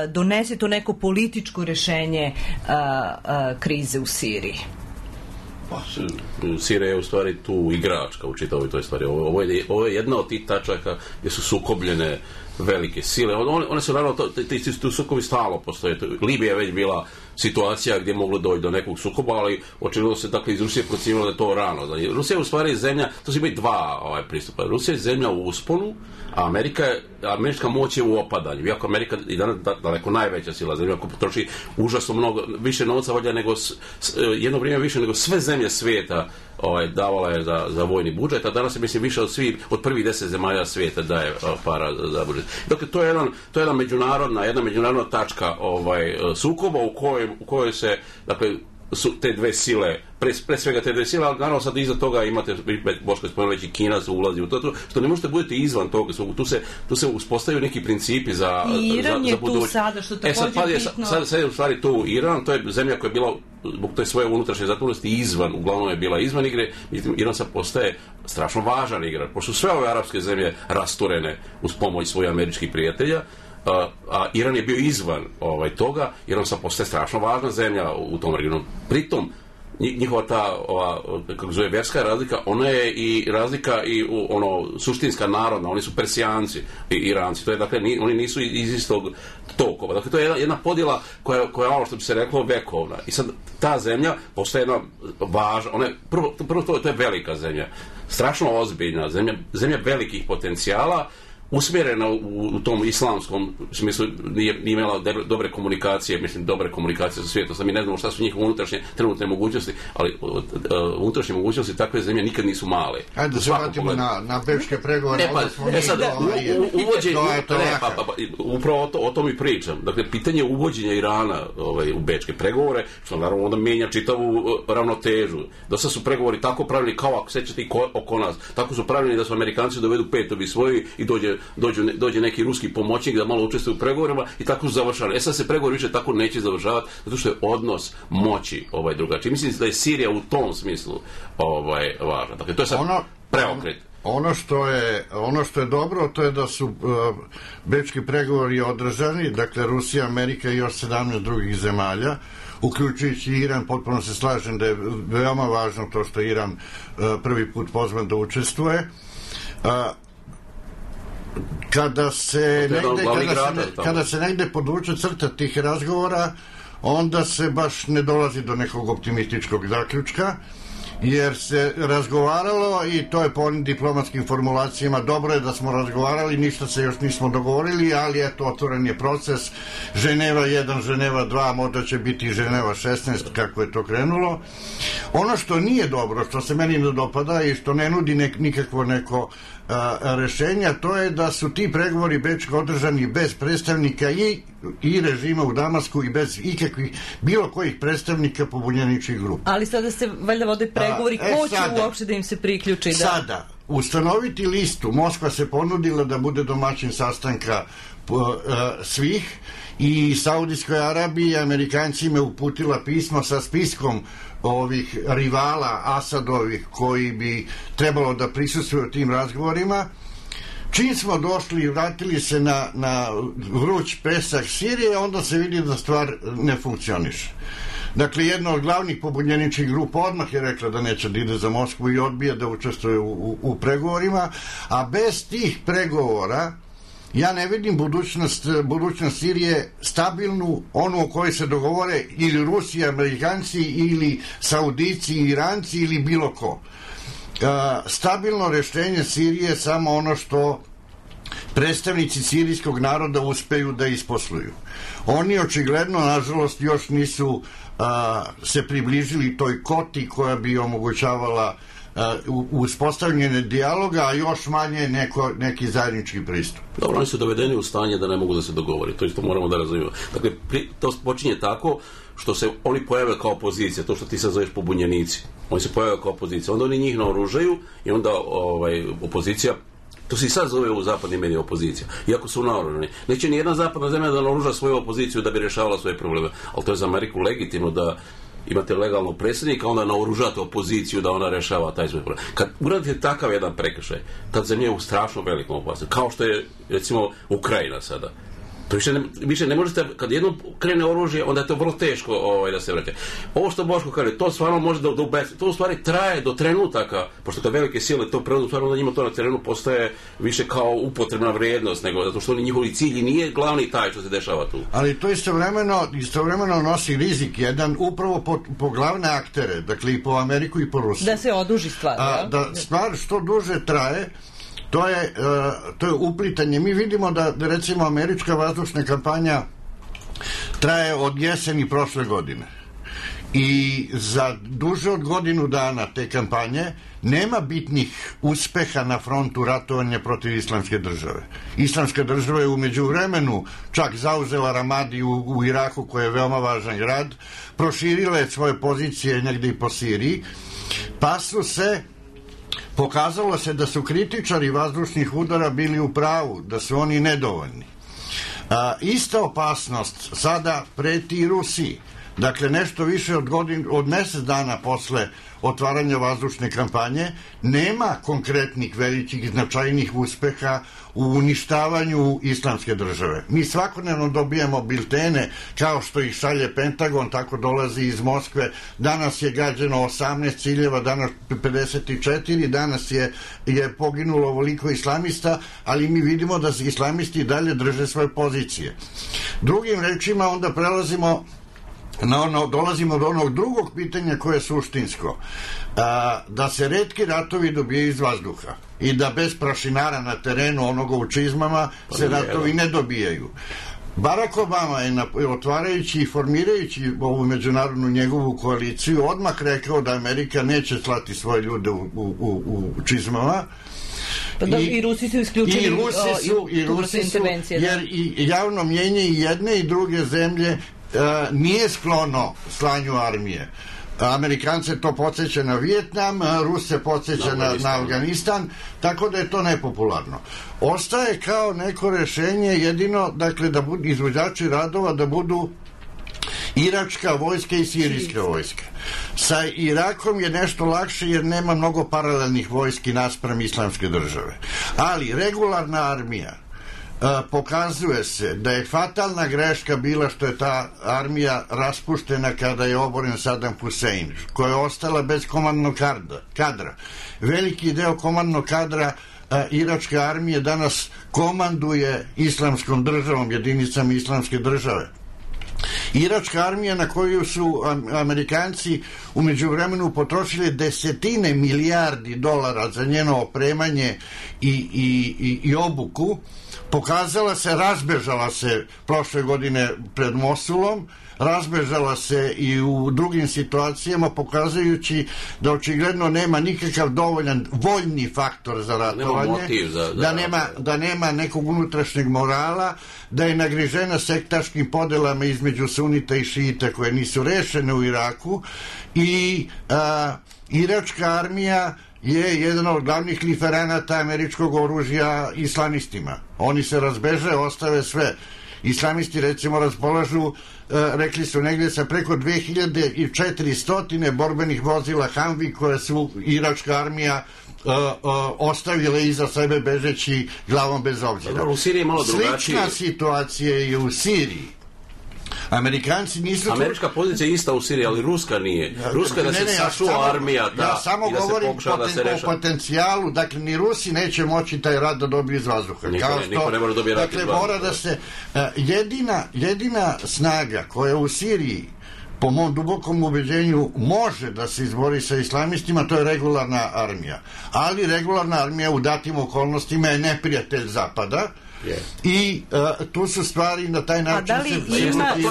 donese to neko političko rešenje krize u Siriji? Sirija je u stvari tu igračka u čitavoj toj stvari. Ovo je jedna od tih tačaka gdje su sukobljene velike sile. One su naravno, ti sukobi stalo postoje. Libija je već bila situacija gdje je moglo doći do nekog sukoba, ali očigledno se dakle iz Rusije procjenjivalo da je to rano. Rusija je u stvari zemlja, to su imaju dva pristupa. Rusija je zemlja u usponu, a američka moć je u opadanju. Iako Amerika i danas daleko najveća sila zemlja koja potroši užasno mnogo, više novca valjda nego jedno vrijeme više nego sve zemlje svijeta davala je za vojni budžet, a danas je mislim više od prvih 10 zemalja svijeta daje para za budžet. Dakle, to je jedna međunarodna tačka sukoba u kojoj se, dakle, su te dve sile, pre svega te dve sile, ali naravno sad iza toga imate, Boško je spomenuo već i Kina se ulazi u to, što ne možete budete izvan toga, tu se uspostavljaju neki principi za Iran je tu sada, što također bitno. Sad je u stvari tu Iran, to je zemlja koja je bila zbog te svoje unutrašnje zatvorenosti uglavnom je bila izvan igre, međutim Iran sad postaje strašno važan igrač, pošto su sve ove arapske zemlje rasturene uz pomoć svojih američkih prijatelja, a Iran je bio izvan toga, Iran sad postaje strašno važna zemlja u tom regionu. Pritom, njihova ta, kako zove, vjerska razlika, ona je i razlika i suštinska narodna, oni su Persijanci i Iranci, to je, dakle, oni nisu iz istog tokova. Dakle, to je jedna podjela koja je ono što bi se reklo vekovna. I sad ta zemlja postaje jedna važna, prvo to je velika zemlja, strašno ozbiljna zemlja velikih potencijala, usmjerena u tom islamskom smislu, nije imala dobre komunikacije sa svijetom. Sad mi ne znamo šta su njihove unutrašnje trenutne mogućnosti, ali unutrašnje mogućnosti takve zemlje nikad nisu male. Ajde da se vratimo na bečke pregovore. Upravo o tom i pričam. Dakle, pitanje uvođenja Irana u bečke pregovore, što naravno onda mijenja čitavu ravnotežu. Do sad su pregovori tako pravili kao, ako sećate, oko nas. Tako su pravili da su Amerikanci dovedu 5 obi svoji i dođe neki ruski pomoćnik da malo učestvuje u pregovorima i tako su završali. Sad se pregovori više tako neće završavati, zato što je odnos moći drugačiji. Mislim da je Sirija u tom smislu važna. Dakle, to je sad preokret. Ono što je dobro, to je da su bečki pregovori održani, dakle Rusija, Amerika i još 17 drugih zemalja, uključujući Iran. Potpuno se slažem da je veoma važno to što Iran prvi put pozvan da učestvuje. Kada se negde podvuče crta tih razgovora, onda se baš ne dolazi do nekog optimističkog zaključka, jer se razgovaralo i to je po onim diplomatskim formulacijama, dobro je da smo razgovarali, ništa se još nismo dogovorili, ali eto, otvoren je proces, Ženeva 1, Ženeva 2, možda će biti Ženeva 16, kako je to krenulo. Ono što nije dobro, što se meni ne dopada i što ne nudi nikakvo neko rešenja, to je da su ti pregovori bečki održani bez predstavnika i režima u Damasku i bez ikakvih bilo kojih predstavnika pobunjeničkih grupa. Ali sada se valjda vode pregovori, ko će uopšte da im se priključi? Sada, ustanoviti listu, Moskva se ponudila da bude domaćin sastanka svih i Saudijskoj Arabiji i Amerikancima uputila pismo sa spiskom ovih rivala Asadovih koji bi trebalo da prisustvuju tim razgovorima. Čim smo došli i vratili se na vruć pesak Sirije, onda se vidi da stvar ne funkcioniše. Dakle, jedna od glavnih pobunjeničkih grupa odmah je rekla da neće da ide za Moskvu i odbija da učestvuje u pregovorima, a bez tih pregovora ja ne vidim budućnost Sirije stabilnu, onu o kojoj se dogovore ili Rusi, Amerikanci ili Saudici, Iranci ili bilo ko. Stabilno rešenje Sirije je samo ono što predstavnici sirijskog naroda uspeju da isposluju. Oni očigledno, nažalost, još nisu se približili toj koti koja bi omogućavala uspostavljanje dijaloga, a još manje neki zajednički pristup. Dobro, oni su dovedeni u stanje da ne mogu da se dogovori, to isto moramo da razumijemo. Dakle, to počinje tako što se oni pojave kao opozicija, to što ti sad zoveš pobunjenici, oni se pojave kao opozicija, onda oni njih naoružaju i onda opozicija, to se i sad zove u zapadnim medijima opozicija, iako su naoružani. Neće ni jedna zapadna zemlja da naoruža svoju opoziciju da bi rješavala svoje probleme, ali to je za Ameriku legitimno da imate legalnog predsjednika, onda naoružate opoziciju da ona rešava taj svoj problem. Kad uradite takav jedan prekršaj, tad zemlja je u strašno velikom opasnosti, kao što je recimo Ukrajina sada. To više ne možete, kad jednom krene oružje, onda je to vrlo teško da se vraća. Ovo što Boško kaže, to stvarno može da ubesi, to u stvari traje do trenutaka, pošto kad velike sile to preuzmu, stvarno da njima to na terenu postaje više kao upotrebna vrijednost, nego zato što njihovi cilji nije glavni taj što se dešava tu. Ali to istovremeno nosi rizik jedan upravo po glavne aktere, dakle i po Ameriku i po Rusiju. Da se oduži stvar. Da stvar što duže traje, to je uplitanje. Mi vidimo da recimo američka vazdušna kampanja traje od jeseni prošle godine i za duže od godinu dana te kampanje nema bitnih uspeha na frontu ratovanja protiv islamske države. Islamska država je u međuvremenu čak zauzela Ramadi u Iraku, koji je veoma važan grad, proširila je svoje pozicije negdje i po Siriji, pa pokazalo se da su kritičari vazdušnih udara bili u pravu, da su oni nedovoljni. Ista opasnost sada preti i Rusiji. Dakle, nešto više od mjesec dana posle otvaranja vazdušne kampanje nema konkretnih velikih značajnih uspeha u uništavanju islamske države. Mi svakodnevno dobijamo biltene kao što ih šalje Pentagon, tako dolazi iz Moskve. Danas je gađeno 18 ciljeva, danas 54, danas je poginulo ovoliko islamista, ali mi vidimo da se islamisti dalje drže svoje pozicije. Drugim rečima onda dolazimo do onog drugog pitanja koje je suštinsko, da se retki ratovi dobijaju iz vazduha i da bez prašinara na terenu onoga u čizmama se ratovi ne dobijaju. Barack Obama je otvarajući i formirajući ovu međunarodnu njegovu koaliciju odmah rekao da Amerika neće slati svoje ljude u čizmama. I Rusi su isključili jer i javno mnjenje i jedne i druge zemlje nije sklono slanju armije. Amerikance to podsjeća na Vijetnam, Ruse podsjeća na Afganistan, tako da je to nepopularno. Ostaje kao neko rešenje jedino, dakle, da budu izvođači radova da budu iračka vojska i sirijska vojska. Sa Irakom je nešto lakše jer nema mnogo paralelnih vojski naspram islamske države. Ali regularna armija pokazuje se da je fatalna greška bila što je ta armija raspuštena kada je oboren Saddam Hussein, koja je ostala bez komandnog kadra. Veliki deo komandnog kadra iračke armije danas komanduje islamskom državom, jedinicama islamske države. Iračka armija na koju su Amerikanci u međuvremenu potrošili desetine milijardi dolara za njeno opremanje i obuku, razbežala se prošle godine pred Mosulom, razbežala se i u drugim situacijama, pokazujući da očigledno nema nikakav dovoljan voljni faktor za ratovanje, da nema nekog unutrašnjeg morala, da je nagrižena sektaškim podelama između sunita i šijita koje nisu rešene u Iraku i iračka armija je jedan od glavnih liferanata američkog oružja islamistima. Oni se razbeže, ostave sve. Islamisti recimo raspolažu, rekli su negdje sa preko 2400 borbenih vozila Humvee koje su iračka armija ostavile iza sebe bežeći glavom bez obzira. U Siriji je malo drugačije. Slična situacija je u Siriji. Amerikanci nisu... Američka pozicija je ista u Siriji, ali ruska nije. Ruska je da se sačuva armija ja samo govorim o potencijalu, dakle ni Rusi neće moći taj rat da dobiju iz vazduha. Niko ne može dobiti rat iz vazduha. Mora da se... Jedina snaga koja u Siriji po mom dubokom ubeđenju može da se izbori sa islamistima, to je regularna armija. Ali regularna armija u datim okolnostima je neprijatelj Zapada. I tu su stvari na taj način... A da li ima snage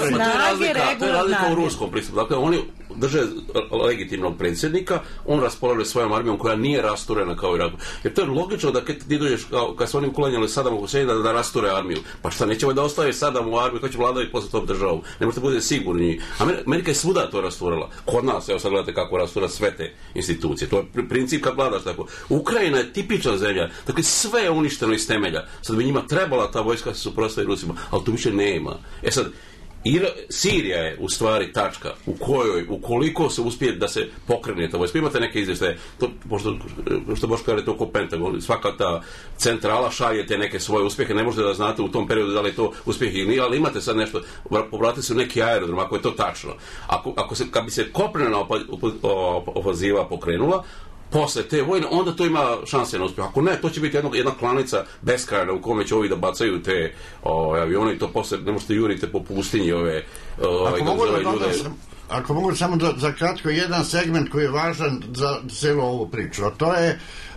regularne? To je razlika u ruskom pristupu. Dakle, oni drže legitimnog predsjednika, on raspolaže svojom armijom koja nije rasturena kao Iraku. Jer to je logično da ti dođeš, kad su oni uklanjali Sadamu Huseina da rasture armiju. Pa šta, nećemo da ostave Sadamu armiju, to će vladati posle tom državu. Ne možete budete sigurni. Amerika je svuda to rasturala. Kod nas, evo sad gledate kako rastura sve te institucije. To je princip kad vladaš tako. Ukrajina je tipična zemlja. Dakle, sve je uništeno iz temelja. Sad bi njima trebala ta vojska se suprotstavi Rusima, ali to više nema. Sad, Sirija je u stvari tačka u kojoj, ukoliko se uspije da se pokrene ta vojska, imate neke izvještaje, što Boško kaže, to oko Pentagon, svaka ta centrala šaljete neke svoje uspjehe, ne možete da znate u tom periodu da li je to uspjeh ili nije, ali imate sad nešto, povratite se u neki aerodrom, ako je to tačno. Kad bi se kopnena ofaziva pokrenula, posle te vojne, onda to ima šanse na uspjeh. Ako ne, to će biti jedna klanica beskrajna u kome će ovi da bacaju te avione i to posle ne možete jurite po pustinji Ako mogu samo za kratko jedan segment koji je važan za celu ovu priču,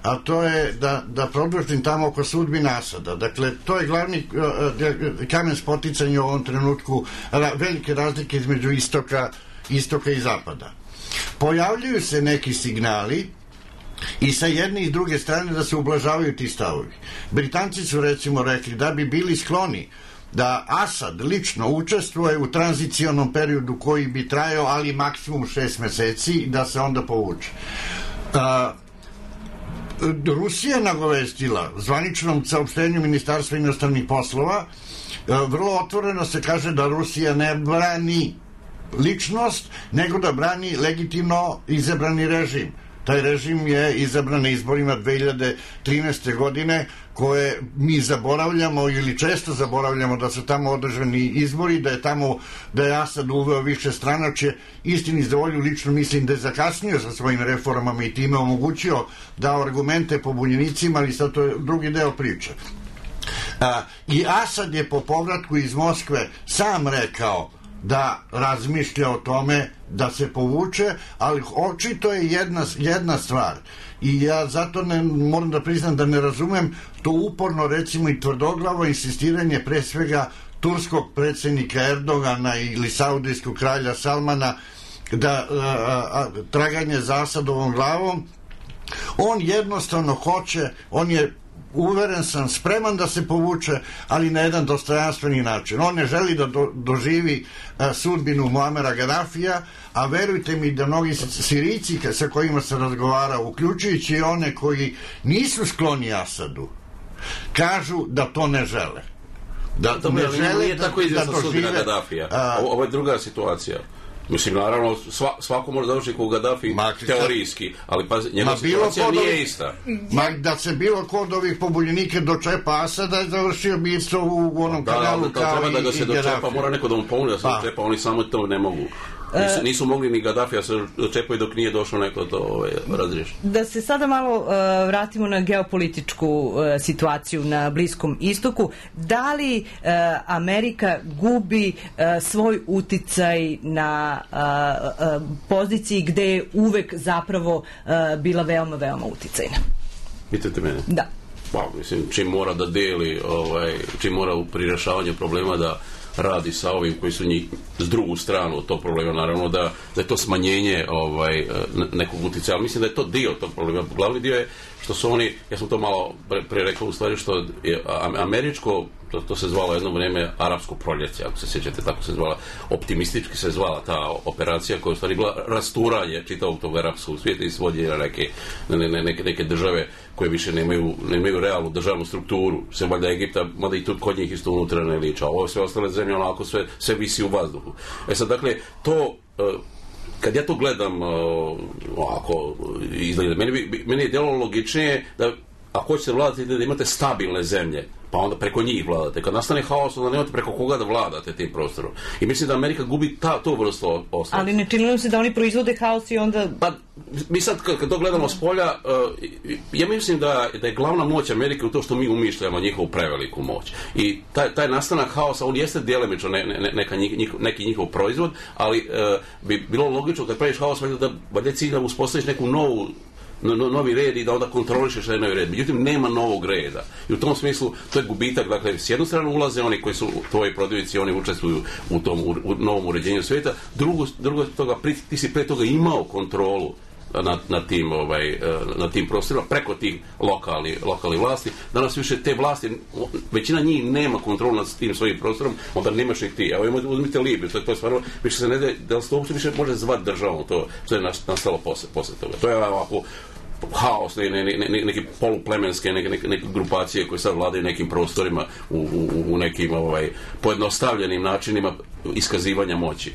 a to je da produžim tamo oko sudbine Asada. Dakle, to je glavni kamen spoticanja u ovom trenutku, velike razlike između istoka i zapada. Pojavljuju se neki signali i sa jedne i s druge strane da se ublažavaju ti stavovi. Britanci su recimo rekli da bi bili skloni da Asad lično učestvuje u tranzicionom periodu koji bi trajao, ali maksimum 6 meseci i da se onda povuče. Rusija je nagovestila zvaničnom saopštenju Ministarstva inostranih poslova, vrlo otvoreno se kaže da Rusija ne brani ličnost, nego da brani legitimno izabrani režim. Taj režim je izabran na izborima 2013. godine, koje mi zaboravljamo ili često zaboravljamo da su tamo održani izbori, da je Asad uveo više stranačje. Istini za volju, lično mislim da je zakasnio sa svojim reformama i time omogućio dao argumente pobunjenicima, ali sad to je drugi deo priče. I Asad je po povratku iz Moskve sam rekao da razmišlja o tome da se povuče, ali očito je jedna stvar i ja zato moram da priznam da ne razumem to uporno recimo i tvrdoglavo insistiranje pre svega turskog predsjednika Erdogana ili saudijskog kralja Salmana da traganje za Asadovom glavom. On jednostavno hoće, on je uveren sam, spreman da se povuče, ali na jedan dostojanstveni način. On ne želi da doživi sudbinu Muamera Gadafija, a verujte mi da mnogi Sirijci sa kojima se razgovara, uključujući i one koji nisu skloni Asadu, kažu da to ne žele. Da ne žele da dožive Gadafija. Ovo je druga situacija. Mislim, naravno, svako može završiti kao Gaddafi teorijski, ali pa njegova situacija nije ista. Da se bilo ko od ovih pobunjenika dočepa Asada je završio bistvo u onom kanalu kao i Gaddafi. Treba da ga se dočepa, mora neko da mu pomogne da se dočepa, oni samo to ne mogu. Nisu mogli ni Gaddafija se čepaju dok nije došlo neko to razriješi. Da se sada malo vratimo na geopolitičku situaciju na Bliskom istoku. Da li Amerika gubi svoj uticaj na poziciji gde je uvek zapravo bila veoma, veoma uticajna? Pitate mene? Da. Pa, mislim, čim mora da deli, čim mora pri rešavanju problema da radi sa ovim koji su njih s drugu stranu tog problema, naravno da je to smanjenje nekog utjecaja, ali mislim da je to dio tog problema. Glavni dio je što su oni, ja sam to malo pre rekao u stvari, što je američko, to se zvalo jedno vrijeme arapsko proljeće, ako se sjećate, tako se zvala, optimistički se zvala ta operacija koja je u stvari bila rasturanje čitavog tog arapskog svijeta i svođenje na neke države koje više nemaju realnu državnu strukturu, sve valjda Egipta, mada i tu kod njih isto unutra ne liča, ovo sve ostale zemlje onako sve visi u vazduhu. Sad, dakle, to kad ja to gledam ovako izgleda, meni je djelo logičnije da ako hoćete vladati da imate stabilne zemlje, pa onda preko njih vladate. Kad nastane haos, onda nemate preko koga da vladate tim prostorom. I mislim da Amerika gubi tu vrstu ostalosti. Ali ne čini nam se da oni proizvode haos i onda... Pa, mi sad, kad to gledamo s polja, ja mislim da je glavna moć Amerike u to što mi umišljamo njihovu preveliku moć. I taj nastanak haosa, on jeste djelimično neki njihov proizvod, ali bi bilo logično kad praviš haos, valjda cilj da uspostaviš neku novi red i da onda kontrolišeš taj novi red. Međutim, nema novog reda. I u tom smislu, to je gubitak. Dakle, s jednu stranu ulaze oni koji su tvoji protivnici, oni učestvuju u tom novom uređenju svijeta. Drugo toga, ti si pre toga imao kontrolu na tim prostorima preko tih lokalnih vlasti. Danas više te vlasti, većina njih nema kontrolu nad tim svojim prostorom, onda nemaš ih ti. Evo uzmite Libiju, to je stvarno, više se ne da se to uopšte više može zvati državom, to što je nastalo posle toga. To je ovako haos, neke poluplemenske, neke grupacije koje sad vladaju nekim prostorima u nekim pojednostavljenim načinima iskazivanja moći.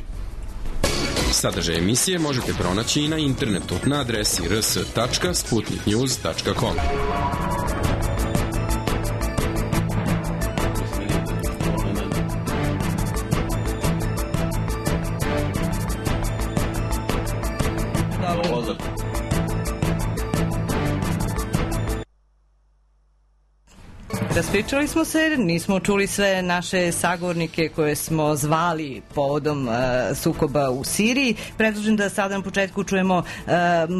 Sadržaj emisije možete pronaći i na internetu na adresi rs.sputniknews.com. Raspričali smo se, nismo čuli sve naše sagovornike koje smo zvali povodom sukoba u Siriji. Predlažem da sada na početku čujemo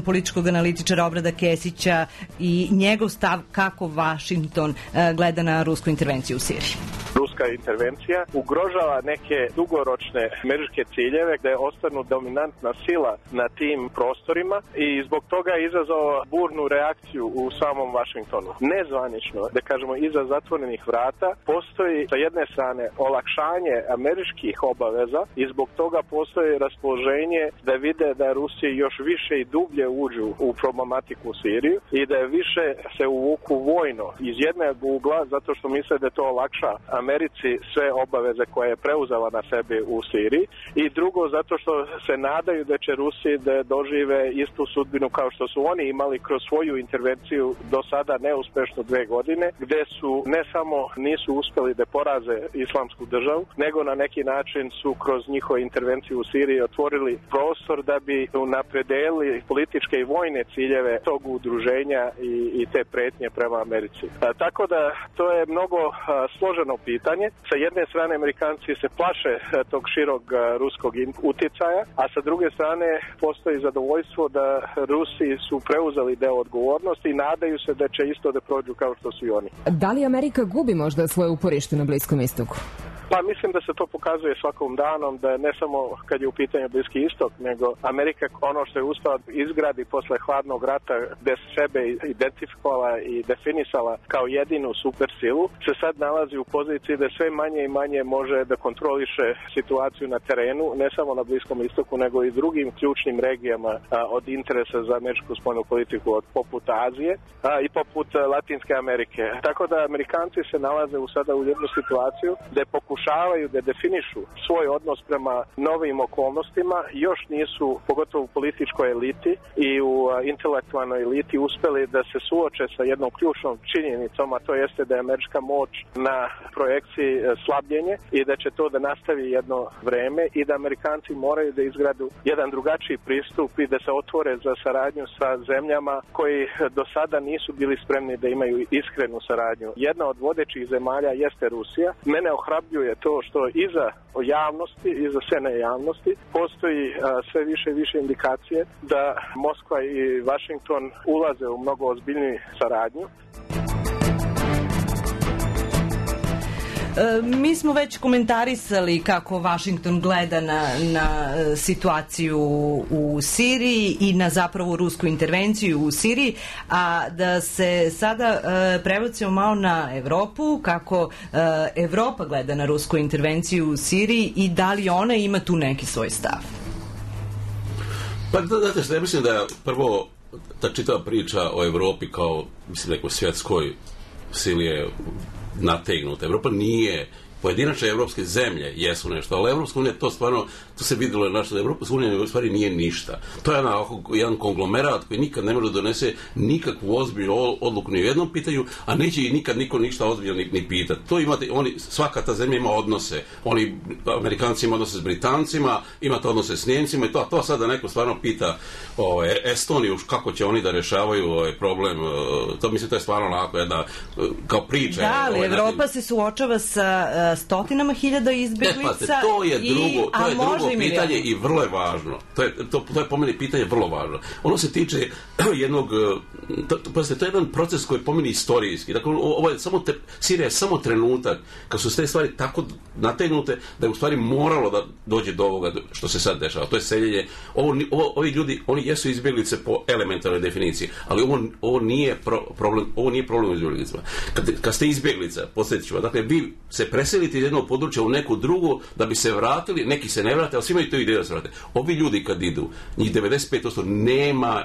političkog analitičara Obrada Kesića i njegov stav kako Vašington gleda na rusku intervenciju u Siriji. Ruska intervencija ugrožava neke dugoročne američke ciljeve gde ostanu dominantna sila na tim prostorima i zbog toga je izazvao burnu reakciju u samom Vašingtonu. Nezvanično, da kažemo iza zatvorenih vrata, postoji sa jedne strane olakšanje američkih obaveza i zbog toga postoji raspoloženje da vide da Rusiji još više i dublje uđu u problematiku Siriju i da je više se uvuku vojno iz jednog ugla zato što misle da to olakša Americi sve obaveze koje je preuzela na sebi u Siriji i drugo zato što se nadaju da će Rusi da dožive istu sudbinu kao što su oni imali kroz svoju intervenciju do sada neuspešno 2 godine gde su ne samo nisu uspeli da poraze islamsku državu nego na neki način su kroz njihovu intervenciju u Siriji otvorili prostor da bi napredeli političke i vojne ciljeve tog udruženja i te pretnje prema Americi. Tako da to je mnogo složeno pitanje. Sa jedne strane Amerikanci se plaše tog širog ruskog uticaja, a sa druge strane postoji zadovoljstvo da Rusi su preuzeli deo odgovornosti i nadaju se da će isto da prođu kao što su i oni. Da li Amerika gubi možda svoje uporište na Bliskom istoku? Pa mislim da se to pokazuje svakom danom, da ne samo kad je u pitanju Bliski istok, nego Amerika ono što je uspela izgradi posle hladnog rata gde se sebe identifikovala i definisala kao jedinu supersilu, se sad nalazi u poziciji da sve manje i manje može da kontroliše situaciju na terenu, ne samo na Bliskom istoku, nego i drugim ključnim regijama od interesa za američku spoljnu politiku, od poput Azije i poput Latinske Amerike. Tako da Amerikanci se nalaze sada u jednu situaciju da je pokušavaju da definišu svoj odnos prema novim okolnostima, još nisu, pogotovo u političkoj eliti i u intelektualnoj eliti, uspeli da se suoče sa jednom ključnom činjenicom, a to jeste da je američka moć na projekciji slabljenje i da će to da nastavi jedno vreme i da Amerikanci moraju da izgradu jedan drugačiji pristup i da se otvore za saradnju sa zemljama koji do sada nisu bili spremni da imaju iskrenu saradnju. Jedna od vodećih zemalja jeste Rusija. Mene ohrabljuje to što iza javnosti, iza scene javnosti postoji sve više i više indikacije da Moskva i Vašington ulaze u mnogo ozbiljniju saradnju. Mi smo već komentarisali kako Vašington gleda na situaciju u Siriji i na zapravo rusku intervenciju u Siriji, a da se sada prebacimo malo na Evropu, kako Evropa gleda na rusku intervenciju u Siriji i da li ona ima tu neki svoj stav? Pa znate što, ja mislim da prvo ta čitava priča o Evropi kao, mislim, nekoj svjetskoj sili je nategnuta. Evropa nije, pojedinačne evropske zemlje jesu nešto, ali Evropska unija, to stvarno, to se vidjelo na što Evropska unija u stvari nije ništa. To je jedan konglomerat koji nikad ne može donese nikakvu ozbiljnu odluku ni u jednom pitanju, a neće i nikad niko ništa ozbiljno ni pitati. To imate, svaka ta zemlja ima odnose. Oni, Amerikanci ima odnose s Britancima, imate odnose s Njemcima i to sada neko stvarno pita Estoniju kako će oni da rešavaju problem. To mislim, to je stvarno onako jedna kao priča. Da, ali Evropa se suočava sa stotinama hiljada izbjeglica. To je drugo pitanje i vrlo je važno. To je po meni pitanje vrlo važno. Ono se tiče jednog, to je jedan proces koji je po meni istorijski. Dakle, Sirija je samo trenutak kad su te stvari tako nategnute da je u stvari moralo da dođe do ovoga što se sad dešava. To je seljenje. Ovi ljudi, oni jesu izbjeglice po elementarnoj definiciji, ali ovo nije problem u izbjeglicama. Kad ste izbjeglica, podsjetit ću vas, dakle, vi se preselite iz jednog područja u neku drugu da bi se vratili, neki se ne vrate, ali svi imaju to ideju da se vrate. Ovi ljudi kad idu, njih 95% nema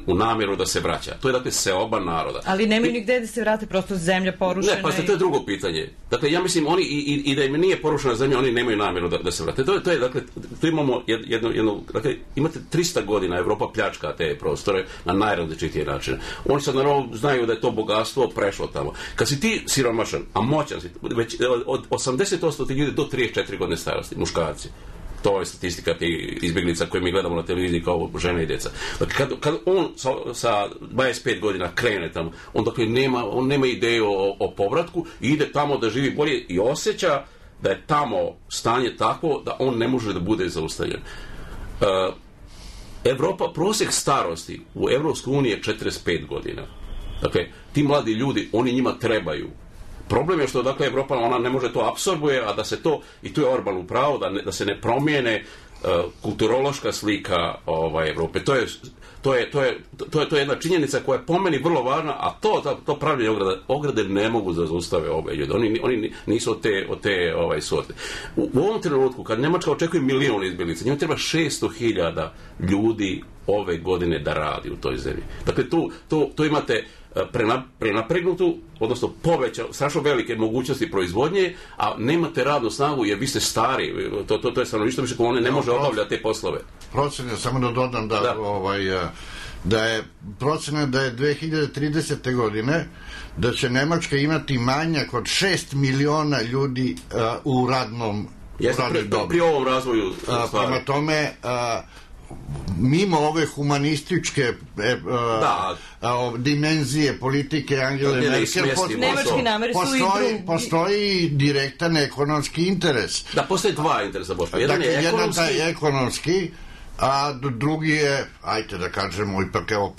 u namjeru da se vraća. To je dakle seoba naroda. Ali nemaju nigde da se vrate, prosto zemlja porušena. Ne, pa to je drugo pitanje. Dakle, ja mislim, oni i da im nije porušena zemlja, oni nemaju namjeru da se vrate. To je dakle, tu imamo jedno, dakle, imate 300 godina Evropa pljačka te prostore na najrazličitije načine. Oni sad naravno znaju da je to bogatstvo prešlo tamo. Kad si ti siromašan, a moćan si, već od 80% ti ljudi do 34 godine starosti, muškarci. To je statistika tih izbjeglica koje mi gledamo na televiziji kao žene i djeca. Dakle, kad on sa 25 godina krene tamo, on dakle nema ideju o povratku i ide tamo da živi bolje i osjeća da je tamo stanje takvo da on ne može da bude zaustavljen. Evropa, prosjek starosti u Evropskoj uniji je 45 godina. Dakle, ti mladi ljudi, oni njima trebaju. Problem je što, dakle, Evropa, ona ne može to apsorbuje, a da se to, i tu je Orban u pravu, da se ne promijene kulturološka slika Evrope. To je jedna činjenica koja je po meni vrlo važna, a to pravljenje ograde ne mogu da zaustave ove ljude. Oni nisu od te sorte. U ovom trenutku, kad Njemačka očekuje 1 milion izbjeglica, njima treba 600.000 ljudi ove godine da radi u toj zemlji. Dakle, tu imate prenapregnutu, odnosno strašno velike mogućnosti proizvodnje, a nemate radnu snagu jer vi ste stari. To je stanovništvo više koje ne može obavljati te poslove. Procene, samo da dodam da je procena da je 2030. godine da će Nemačka imati manjak od 6 miliona ljudi u radnom dobi. Pri ovom razvoju stvari. Prema tome, mimo ove humanističke dimenzije politike Angele Merkel, postoji direktan ekonomski interes. Da, postoje dva interesa, Boško. Jedan taj ekonomski, a drugi je, ajte da kažemo, ipak evo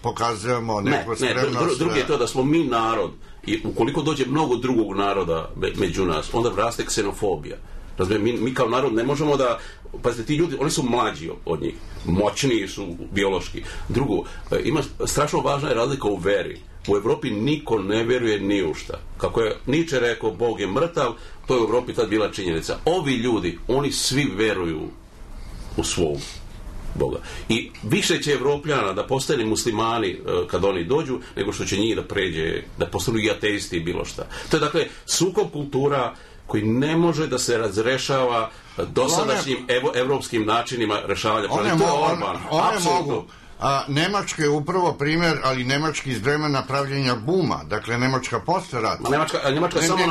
pokazujemo neku spremnost. Drugi je to da smo mi narod i ukoliko dođe mnogo drugog naroda među nas, onda raste ksenofobija. Mi kao narod ne možemo da, pazite, ti ljudi, oni su mlađi od njih, moćniji su biološki. Drugo, ima strašno važna je razlika u veri. U Evropi niko ne veruje ni u šta. Kako je Nietzsche rekao, Bog je mrtav, to je u Evropi tad bila činjenica. Ovi ljudi, oni svi veruju u svog Boga. I više će Evropljana da postane muslimani kad oni dođu, nego što će njih da pređe, da postanu i ateisti i bilo šta. To je dakle sukob kultura koji ne može da se razrešava dosadašnjim evropskim načinima rešavanja problema. To je Orban. Apsolutno. Nemačka je upravo primjer, ali Nemački iz vremena pravljenja buma, dakle Nemačka posle rata. Nemačka samo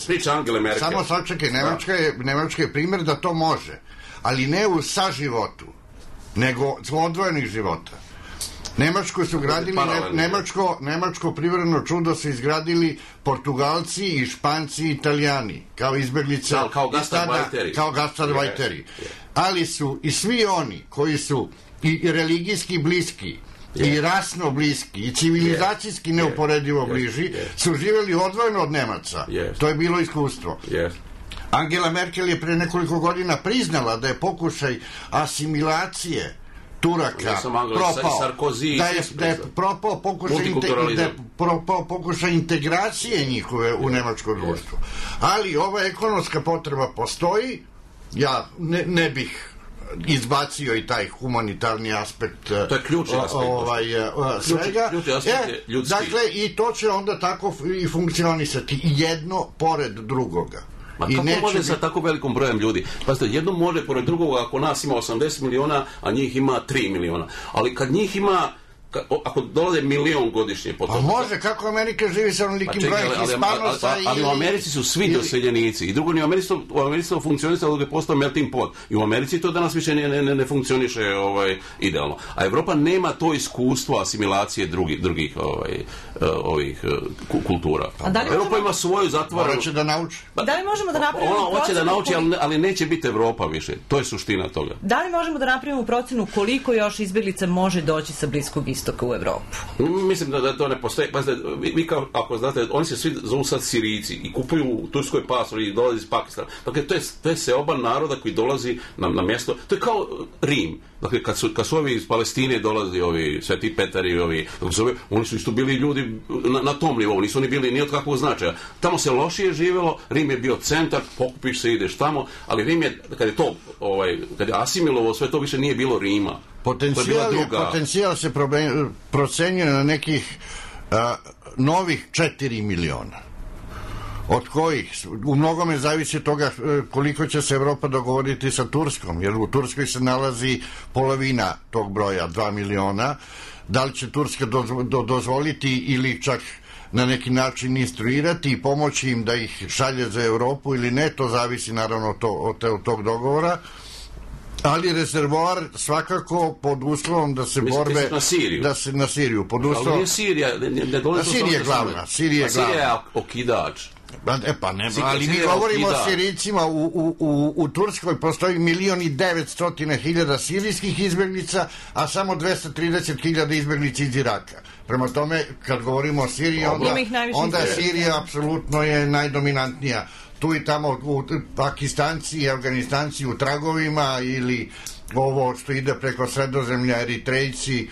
priča Angele Merkel. Samo sačekaj, Nemačka je primjer da to može, ali ne u saživotu, nego odvojenih života. Nemačko su gradili, nemačko privredno čudo su izgradili Portugalci i Španci i Italijani, kao izbeglice, kao gastarbeiteri. Ali su i svi oni koji su i religijski bliski, i rasno bliski, i civilizacijski neuporedivo bliži, su živjeli odvojeno od Nemaca. To je bilo iskustvo. Angela Merkel je pre nekoliko godina priznala da je pokušaj asimilacije Turaka propao, da je propao pokušaj integracije njihove u nemačko društvo. Ali ova ekonomska potreba postoji, ja ne bih izbacio i taj humanitarni aspekt, to je ključni aspekt svega. Dakle, i to će onda tako i funkcionisati, jedno pored drugoga. Ma kako može sa tako velikom brojem ljudi? Pazite, jedno može pored drugoga ako nas ima 80 miliona, a njih ima 3 miliona. Ali kad njih ima, ako dolaze milion godišnje potom... A može, kako Amerika živi sa onolikim brojem Hispanosa ali u Americi su svi doseljenici. I drugo, u Americi to funkcionisalo dok je postao melting pot. I u Americi to danas više ne funkcioniše idealno. A Evropa nema to iskustvo asimilacije drugih ovih kultura. Evropa ima svoju zatvorenu... Hoće da nauči. Da li možemo da napravimo procenu... Ona hoće da nauči, ali neće biti Evropa više. To je suština toga. Da li možemo da napravimo procenu koliko još izbjeglica može doći sa Bliskog istoka u Evropu? Mislim da to ne postoji. Pazite, vi kao, ako znate, oni se svi zovu sad Sirijci i kupuju u Turskoj pasor i dolazi iz Pakistana. Dakle, to je seoba naroda koji dolazi na mjesto. To je kao Rim. Dakle, kad su ovi iz Palestine dolazi, ovi Sveti Petar i ovi, oni su isto bili ljudi na tom nivou, nisu oni bili ni od kakvog značaja. Tamo se lošije živjelo, Rim je bio centar, pokupiš se, ideš tamo, ali Rim je, kad je asimilovo, sve to više nije bilo Rima. Potencijal se procenjuje na nekih novih 4 miliona. Od kojih u mnogome zavisi toga koliko će se Evropa dogovoriti sa Turskom, jer u Turskoj se nalazi polovina tog broja, 2 miliona. Da li će Turska dozvoliti ili čak na neki način instruirati i pomoći im da ih šalje za Evropu ili ne, to zavisi naravno od tog dogovora. Ali rezervoar svakako pod uslovom da se borbe na Siriju. Pod uslovom... Ali nije Sirija, Sirija je glavna. Sirija je okidač. Ali mi govorimo o Sirijcima. U Turskoj postoji 1.900.000 sirijskih izbjeglica, a samo 230.000 izbjeglica iz Iraka. Prema tome, kad govorimo o Siriji, onda Sirija apsolutno je najdominantnija. Tu i tamo Pakistanci i Afganistanci u tragovima, ili ovo što ide preko Sredozemlja, Eritrejci.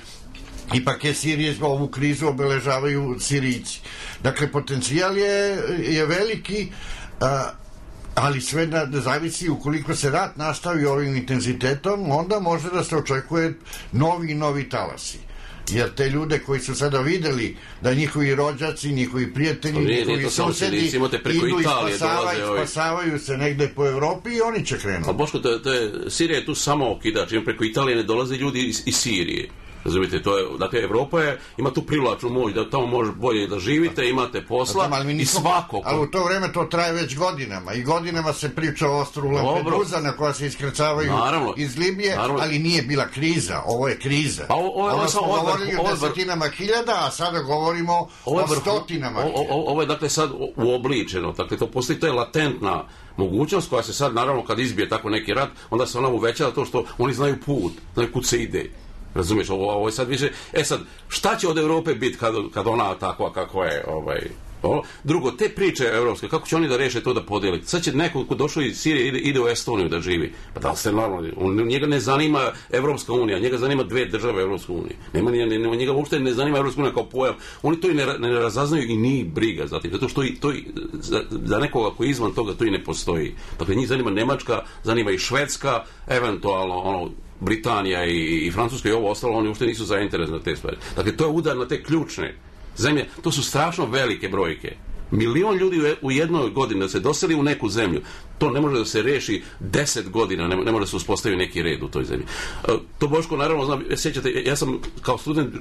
Ipak je Sirije, ovu krizu obeležavaju Sirijci. Dakle, potencijal je veliki, ali sve zavisi ukoliko se rat nastavi ovim intenzitetom, onda može da se očekuje novi talasi. Jer te ljude koji su sada videli da njihovi rođaci, njihovi prijatelji, njihovi susedi idu i spasavaju se negde po Evropi i oni će krenuti. A Boško, Sirija je tu samo okidač, preko Italije ne dolaze ljudi iz Sirije. Razumite, dakle, Evropa ima tu privlačnu moć da tamo može bolje da živite, imate posla i svako. Ali u to vreme to traje već godinama i godinama se priča o ostrvu Lampedusa na koja se iskrcavaju iz Libije, ali nije bila kriza, ovo je kriza. Ovo smo govorili o desetinama hiljada, a sada govorimo o stotinama hiljada. Ovo je dakle sad uobličeno, dakle to postoji, to je latentna mogućnost koja se sad, naravno, kad izbije tako neki rat, onda se ona uveća to što oni znaju put, znaju kud se ide. Razumiješ, ovo je sad više... sad, šta će od Evrope biti kad ona takva kako je... Drugo, te priče evropske, kako će oni da reše to da podijeli? Sad će neko ko došao iz Sirije ide u Estoniju da živi. Pa da li ste normalni? Njega ne zanima Evropska unija, njega zanima dve države Evropske unije. Njega uopšte ne zanima Evropska unija kao pojam. Oni to i ne razaznaju i nije briga za tim. Zato što za nekoga koji je izvan toga to i ne postoji. Dakle, njih zanima Nemačka, zanima i Švedska, eventualno Britanija i Francuska i ovo ostalo, oni uopšte nisu zainteresni na te stvari. Dakle, to je udar na te ključne zemlje. To su strašno velike brojke. Milion ljudi u jednoj godini da se doseli u neku zemlju, to ne može da se reši 10 godina, ne može da se uspostavi neki red u toj zemlji. To Boško, naravno, znam, sjećate, ja sam kao student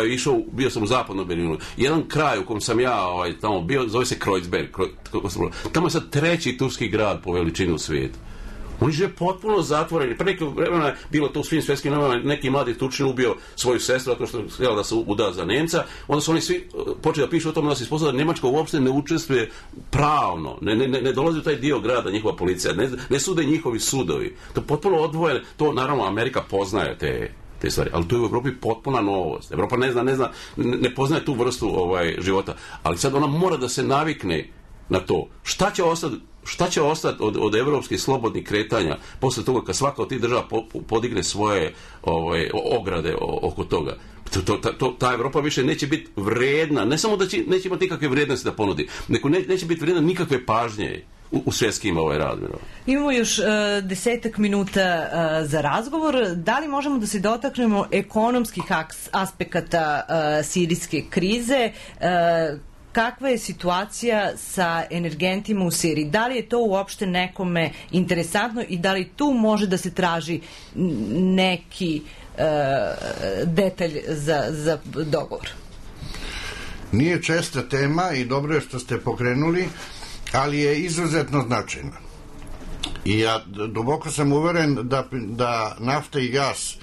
išao, bio sam u zapadnom Berlinu. Jedan kraj u kom sam ja tamo bio, zove se Kreuzberg. Tamo je sad 3. turski grad po veličini u svijetu. Oni žive potpuno zatvoreni. Pre nekog vremena je bilo to u svim svjetskim novinama, neki mladi Turčin ubio svoju sestru zato što je htjela da se uda za Nemca. Onda su oni svi počeli da pišu o tome da se ispostavlja da Nemačka uopšte ne učestvuje pravno, ne dolazi u taj dio grada njihova policija, ne sude njihovi sudovi. To je potpuno odvojeno. To naravno Amerika poznaje te stvari, ali to je u Evropi potpuna novost. Evropa ne poznaje tu vrstu života, ali sad ona mora da se navikne na to. Šta će ostati od evropskih slobodnih kretanja posle toga kad svaka od tih država podigne svoje ograde oko toga? Ta Evropa više neće biti vredna, ne samo da neće imati nikakve vrijednosti da ponudi, nego neće biti vredna nikakve pažnje u svjetskim razmjerima. Imamo još 10 minuta za razgovor. Da li možemo da se dotaknemo ekonomskih aspekata sirijske krize? Kakva je situacija sa energentima u Siriji? Da li je to uopšte nekome interesantno i da li tu može da se traži neki detalj za dogovor? Nije česta tema i dobro je što ste pokrenuli, ali je izuzetno značajna. I ja duboko sam uveren da nafta i gas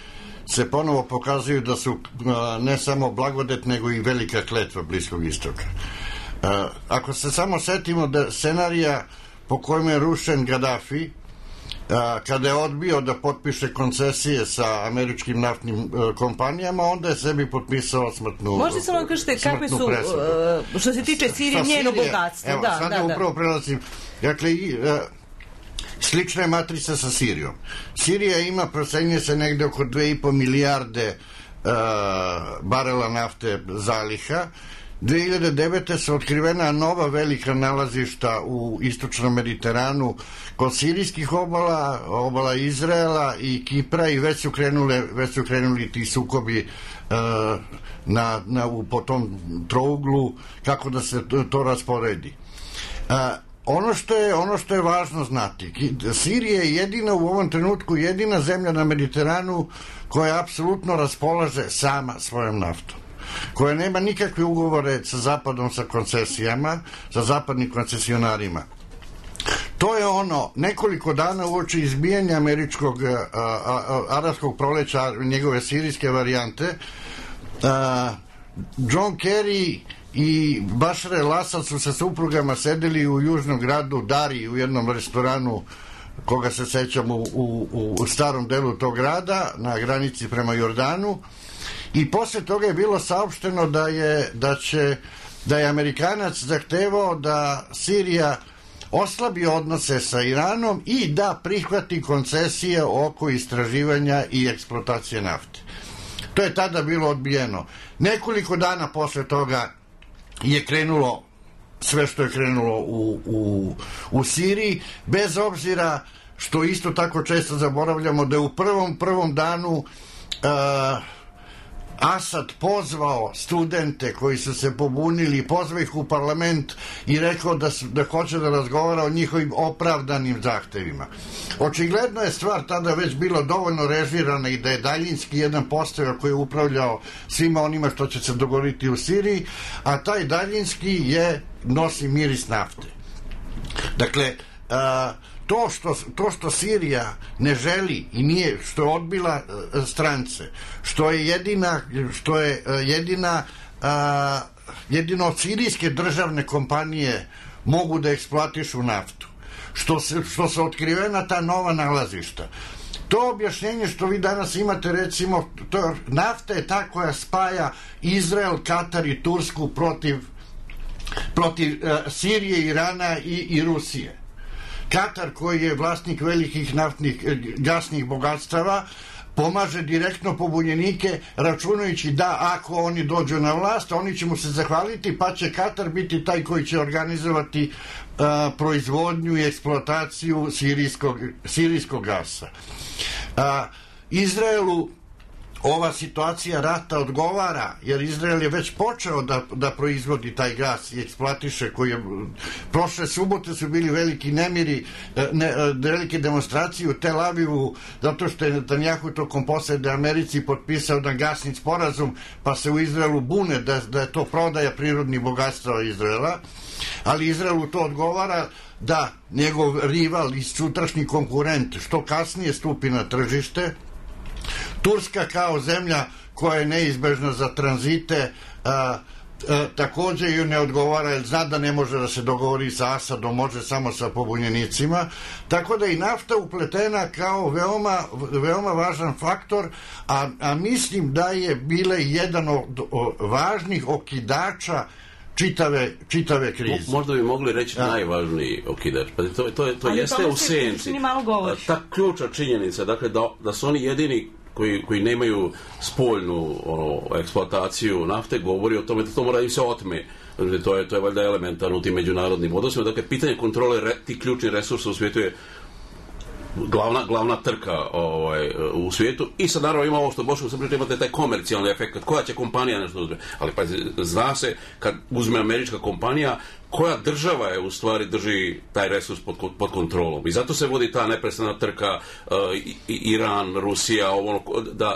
se ponovo pokazuju da su ne samo blagodet, nego i velika kletva Bliskog istoka. Ako se samo setimo da scenarija po kojem je rušen Gaddafi, kada je odbio da potpiše koncesije sa američkim naftnim kompanijama, onda je sebi potpisao smrtnu presudu. Možete samo kažete kakve su, što se tiče Sirije, njeno bogatstvo. Evo, sad upravo prelazim. Dakle, slična je matrica sa Sirijom. Sirija ima, procenjuje se negde oko 2,5 milijarde barela nafte zaliha. 2009. su otkrivena nova velika nalazišta u istočnom Mediteranu kod sirijskih obala Izraela i Kipra i već su krenuli ti sukobi po tom trouglu kako da se to rasporedi. Ono što je važno znati, Sirija je jedina u ovom trenutku jedina zemlja na Mediteranu koja apsolutno raspolaže sama svojom naftom, koja nema nikakve ugovore sa Zapadom, sa koncesijama, sa zapadnim koncesionarima. To je nekoliko dana uoči izbijanja američkog arapskog proleća, njegove sirijske varijante, John Kerry i Bashar el-Assad su sa suprugama sedeli u južnom gradu Dari u jednom restoranu koga se sećamo u starom delu tog grada na granici prema Jordanu i posle toga je bilo saopšteno da je Amerikanac zahtevao da Sirija oslabi odnose sa Iranom i da prihvati koncesije oko istraživanja i eksploatacije nafte. To je tada bilo odbijeno. Nekoliko dana posle toga je krenulo sve što je krenulo u Siriji, bez obzira što isto tako često zaboravljamo da je u prvom danu Asad pozvao studente koji su se pobunili, pozvao ih u parlament i rekao da hoće da razgovara o njihovim opravdanim zahtevima. Očigledno je stvar tada već bila dovoljno režirana i da je daljinski jedan postojao koji je upravljao svima onima što će se dogoditi u Siriji, a taj daljinski nosi miris nafte. Dakle, to što Sirija ne želi i nije, što je odbila strance, što je jedino od sirijske državne kompanije mogu da eksploatišu naftu, što su otkrivena ta nova nalazišta. To objašnjenje što vi danas imate, recimo, nafta je ta koja spaja Izrael, Katar i Tursku protiv Sirije, Irana i Rusije. Katar, koji je vlasnik velikih naftnih gasnih bogatstava, pomaže direktno pobunjenike, računajući da ako oni dođu na vlast, oni će mu se zahvaliti, pa će Katar biti taj koji će organizovati proizvodnju i eksploataciju sirijskog gasa. Izraelu ova situacija rata odgovara, jer Izrael je već počeo da proizvodi taj gas i eksploatiše, koji je, prošle subote su bili veliki nemiri, velike demonstracije u Tel Avivu, zato što je Netanjahu tokom posete Americi potpisao da gasni sporazum, pa se u Izraelu bune da je to prodaja prirodnih bogatstava Izraela, ali Izraelu to odgovara da njegov rival i sutrašnji konkurent što kasnije stupi na tržište. Turska kao zemlja koja je neizbežna za tranzite takođe ju ne odgovara, jer zna da ne može da se dogovori sa Asadom, može samo sa pobunjenicima, tako da i nafta upletena kao veoma važan faktor, a mislim da je bile jedan od važnih okidača čitave krize. Možda bi mogli reći najvažniji okidač. To jeste u senci. Ta ključna činjenica, dakle, da su oni jedini koji nemaju spoljnu eksploataciju nafte, govori o tome da to mora im se otme. To je valjda elementarno u tim međunarodnim odnosima. Dakle, pitanje kontrole tih ključnih resursa u svijetu je glavna trka u svijetu. I sad naravno ima ovo što Boško sam pričao, imate taj komercijalni efekt, koja će kompanija nešto uzme. Ali pa zna se, kad uzme američka kompanija, koja država je u stvari drži taj resurs pod kontrolom. I zato se vodi ta neprestana trka Iran, Rusija,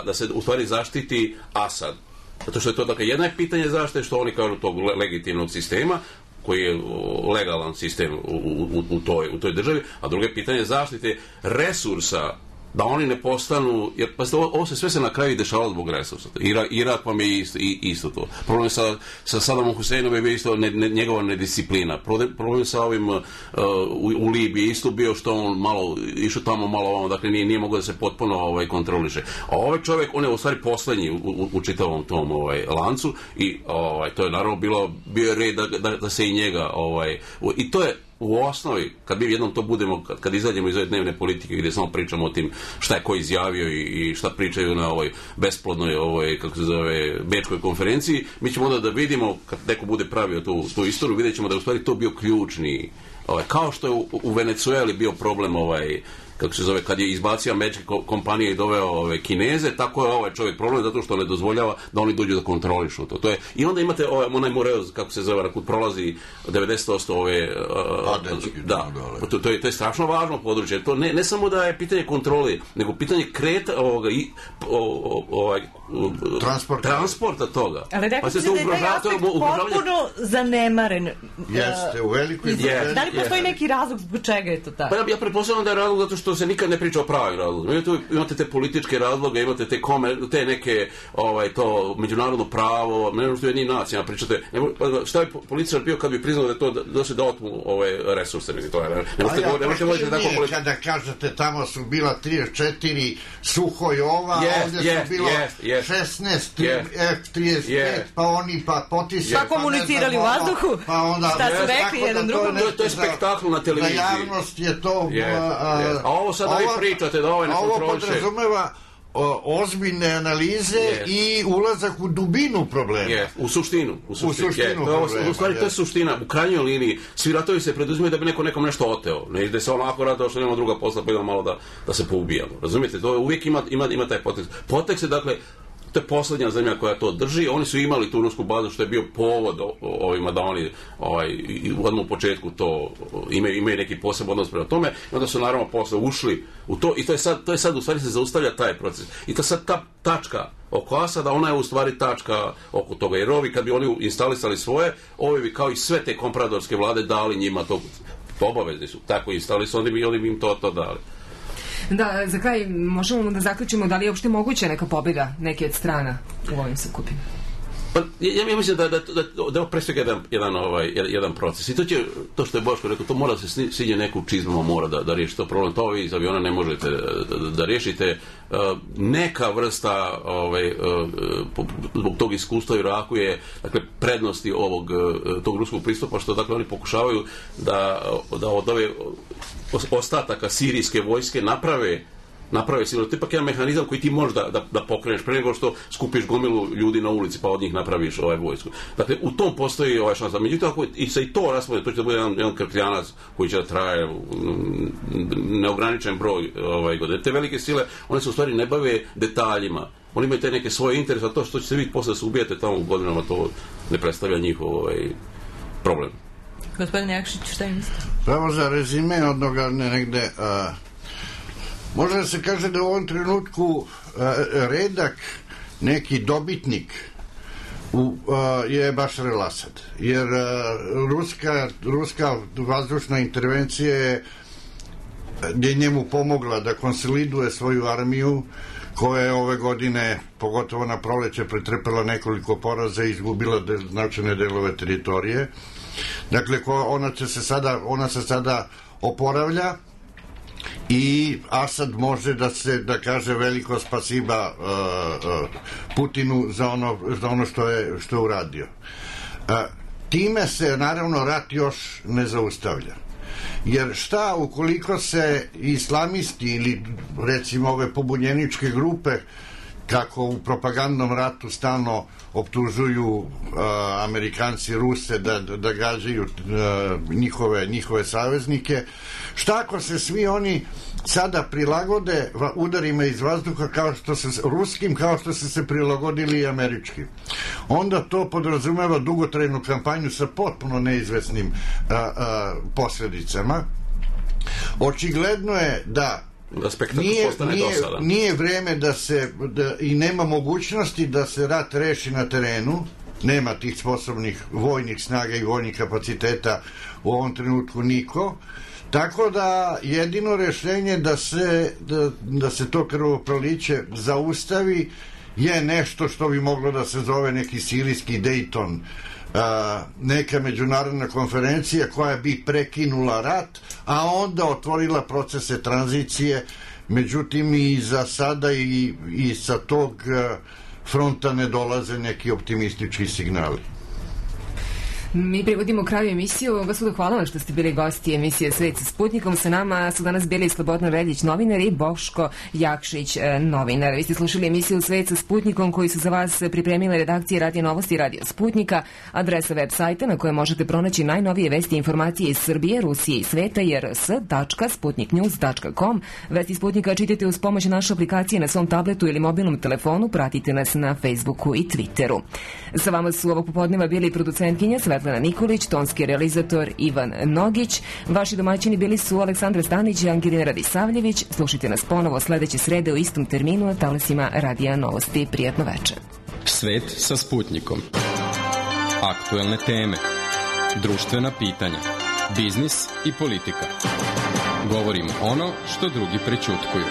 da se u stvari zaštiti Asad. Zato što je to, dakle, jedno je pitanje zaštite, što oni kažu tog legitimnog sistema, koji je legalan sistem u toj državi, a drugo je pitanje zaštite resursa, da oni ne postanu, jer pa ovo sve se na kraju dešavalo zbog resursa. Irak vam je isto to. Problem sa Sadamom Huseinom je bio isto njegova nedisciplina. Problem sa ovim u Libiji isto bio što on malo išao tamo malo ovamo, dakle nije mogao da se potpuno kontroliše. A ovaj čovjek, on je u stvari poslednji u čitavom tom lancu i to je naravno bio je red da se i njega i to je u osnovi, kad mi jednom to budemo, kad izađemo iz ove dnevne politike gdje samo pričamo o tim šta je ko izjavio i šta pričaju na ovoj besplodnoj, kako se zove, bečkoj konferenciji, mi ćemo onda da vidimo, kad neko bude pravio tu istoriju, vidjet ćemo da je u stvari to bio ključni, kao što je u Venecueli bio problem kako se zove, kad je izbacio američke kompanije i doveo Kineze, tako je ovaj čovjek problem zato što ne dozvoljava da oni dođu da kontrolišu to. I onda imate onaj Moreoz, kako se zove, kud prolazi 90% to je strašno važno područje. To ne samo da je pitanje kontrole, nego pitanje transporta toga. Ali rekao se da je taj aspekt potpuno zanemaren. Jeste, u velikoj... Da li postoji neki razlog zbog čega je to tako? Pa ja pretpostavljam da je razlog zato što se nikad ne priča o pravim razlogima. Imate te političke razloge, imate te neke to međunarodno pravo, ne možete jednim nacijama pričate. Šta bi političar bio kad bi priznao da je to da otmu resurse? Kada kažete tamo su bila 34 Suhojova, ovdje su bilo 16 F-35, pa oni potisali. Pa komunicirali u vazduhu? Šta su rekli jedan drugom? To je spektakl na televiziji. Za javnost je to... A ovo sad da vi pričate da ovaj ne kontroliše. Ovo podrazumeva ozbiljne analize i ulazak u dubinu problema. U suštinu. U stvari to je suština. U krajnjoj liniji svi ratovi se preduzimaju da bi nekom nešto oteo. Ne ide se onako ratao što nema druga posla, pa idemo malo da se poubijamo. Razumijete? To uvijek ima taj potekst. Potekst je, dakle, to je poslednja zemlja koja to drži. Oni su imali tu rusku bazu, što je bio povod ovima da oni odmah u početku to imaju neki poseban odnos prema tome, i onda su naravno posle ušli u to i to je sad u stvari se zaustavlja taj proces. I to sad ta tačka oko Asada, ona je u stvari tačka oko toga, jer ovi kad bi oni instalisali svoje, ovi bi kao i sve te kompradorske vlade dali njima to obavezni su. Tako instalisali, oni bi im to dali. Da, za kraj možemo da zaključimo da li je uopšte moguća neka pobjeda neke od strana u ovim sukobima? Pa, ja mislim da je pre svega jedan proces. I to što je Boško rekao, to mora da se svinje neku čizmama, mora da riješi to problem. To vi iz aviona ne možete da riješite. Neka vrsta zbog tog iskustva u Iraku je, dakle, prednosti tog ruskog pristupa, što, dakle, oni pokušavaju da od ove ostataka sirijske vojske naprave sigurno. To je ipak jedan mehanizam koji ti možeš da pokreneš pre nego što skupiš gomilu ljudi na ulici pa od njih napraviš vojsku. Dakle, u tom postoji šansa. Međutim, ako i se i to raspodne, to će da bude jedan krkljanac koji će da traje neograničen broj godine. Te velike sile, one se u stvari ne bave detaljima. oni imaju te neke svoje interese, a to što ćete vi posle se ubijete tamo u godinama, to ne predstavlja njihov problem. Gospodin Jakšić, šta je mislite? Samo za rezime odnoga negde, može da se kaže da u ovom trenutku redak neki dobitnik je Bašar el-Asad, jer ruska vazdušna intervencija je njemu pomogla da konsoliduje svoju armiju, koja je ove godine, pogotovo na proleće, pretrpela nekoliko poraza i izgubila značajne delove teritorije. Dakle, ona se sada oporavlja i Asad može da kaže veliko spasiba Putinu za ono što je uradio. Time se naravno rat još ne zaustavlja. Jer šta ukoliko se islamisti ili recimo ove pobunjeničke grupe, kako u propagandnom ratu stalno optužuju Amerikanci, Ruse da gađaju njihove saveznike, šta ako se svi oni sada prilagode udarima iz vazduha ruskim kao što su se prilagodili i američkim? Onda to podrazumeva dugotrajnu kampanju sa potpuno neizvesnim posledicama. Očigledno je da nije vreme i nema mogućnosti da se rat reši na terenu, nema tih sposobnih vojnih snaga i vojnih kapaciteta u ovom trenutku niko, tako da jedino rešenje da se to krvoproliće zaustavi je nešto što bi moglo da se zove neki sirijski Dayton, neka međunarodna konferencija koja bi prekinula rat, a onda otvorila procese tranzicije. Međutim, i za sada i sa tog fronta ne dolaze neki optimistički signali. Mi privodimo kraju emisiju. Gospodo, hvala vam što ste bili gosti emisije Svet sa Sputnikom. Sa nama su danas bili Slobodan Reljić, novinar, i Boško Jakšić, novinar. Vi ste slušali emisiju Svet sa Sputnikom koju su za vas pripremile redakcije Radio Novosti i Radio Sputnika. Adresa web sajta na kojoj možete pronaći najnovije vesti i informacije iz Srbije, Rusije i sveta je rs.sputniknews.com. Vesti Sputnika čitajte uz pomoć naše aplikacije na svom tabletu ili mobilnom telefonu. Pratite nas na Facebooku i Twitteru. Sa vama su ovog popodneva bili producentkinja Svetlana Nikolić, tonski realizator Ivan Nogić. Vaši domaćini bili su Aleksandra Stanić i Angelina Radisavljević. Slušajte nas ponovo sledeće srede u istom terminu na talasima Radija Novosti. Prijatno večer. Svet sa Sputnikom. Aktuelne teme, društvena pitanja, biznis i politika. Govorimo ono što drugi prećutkuju.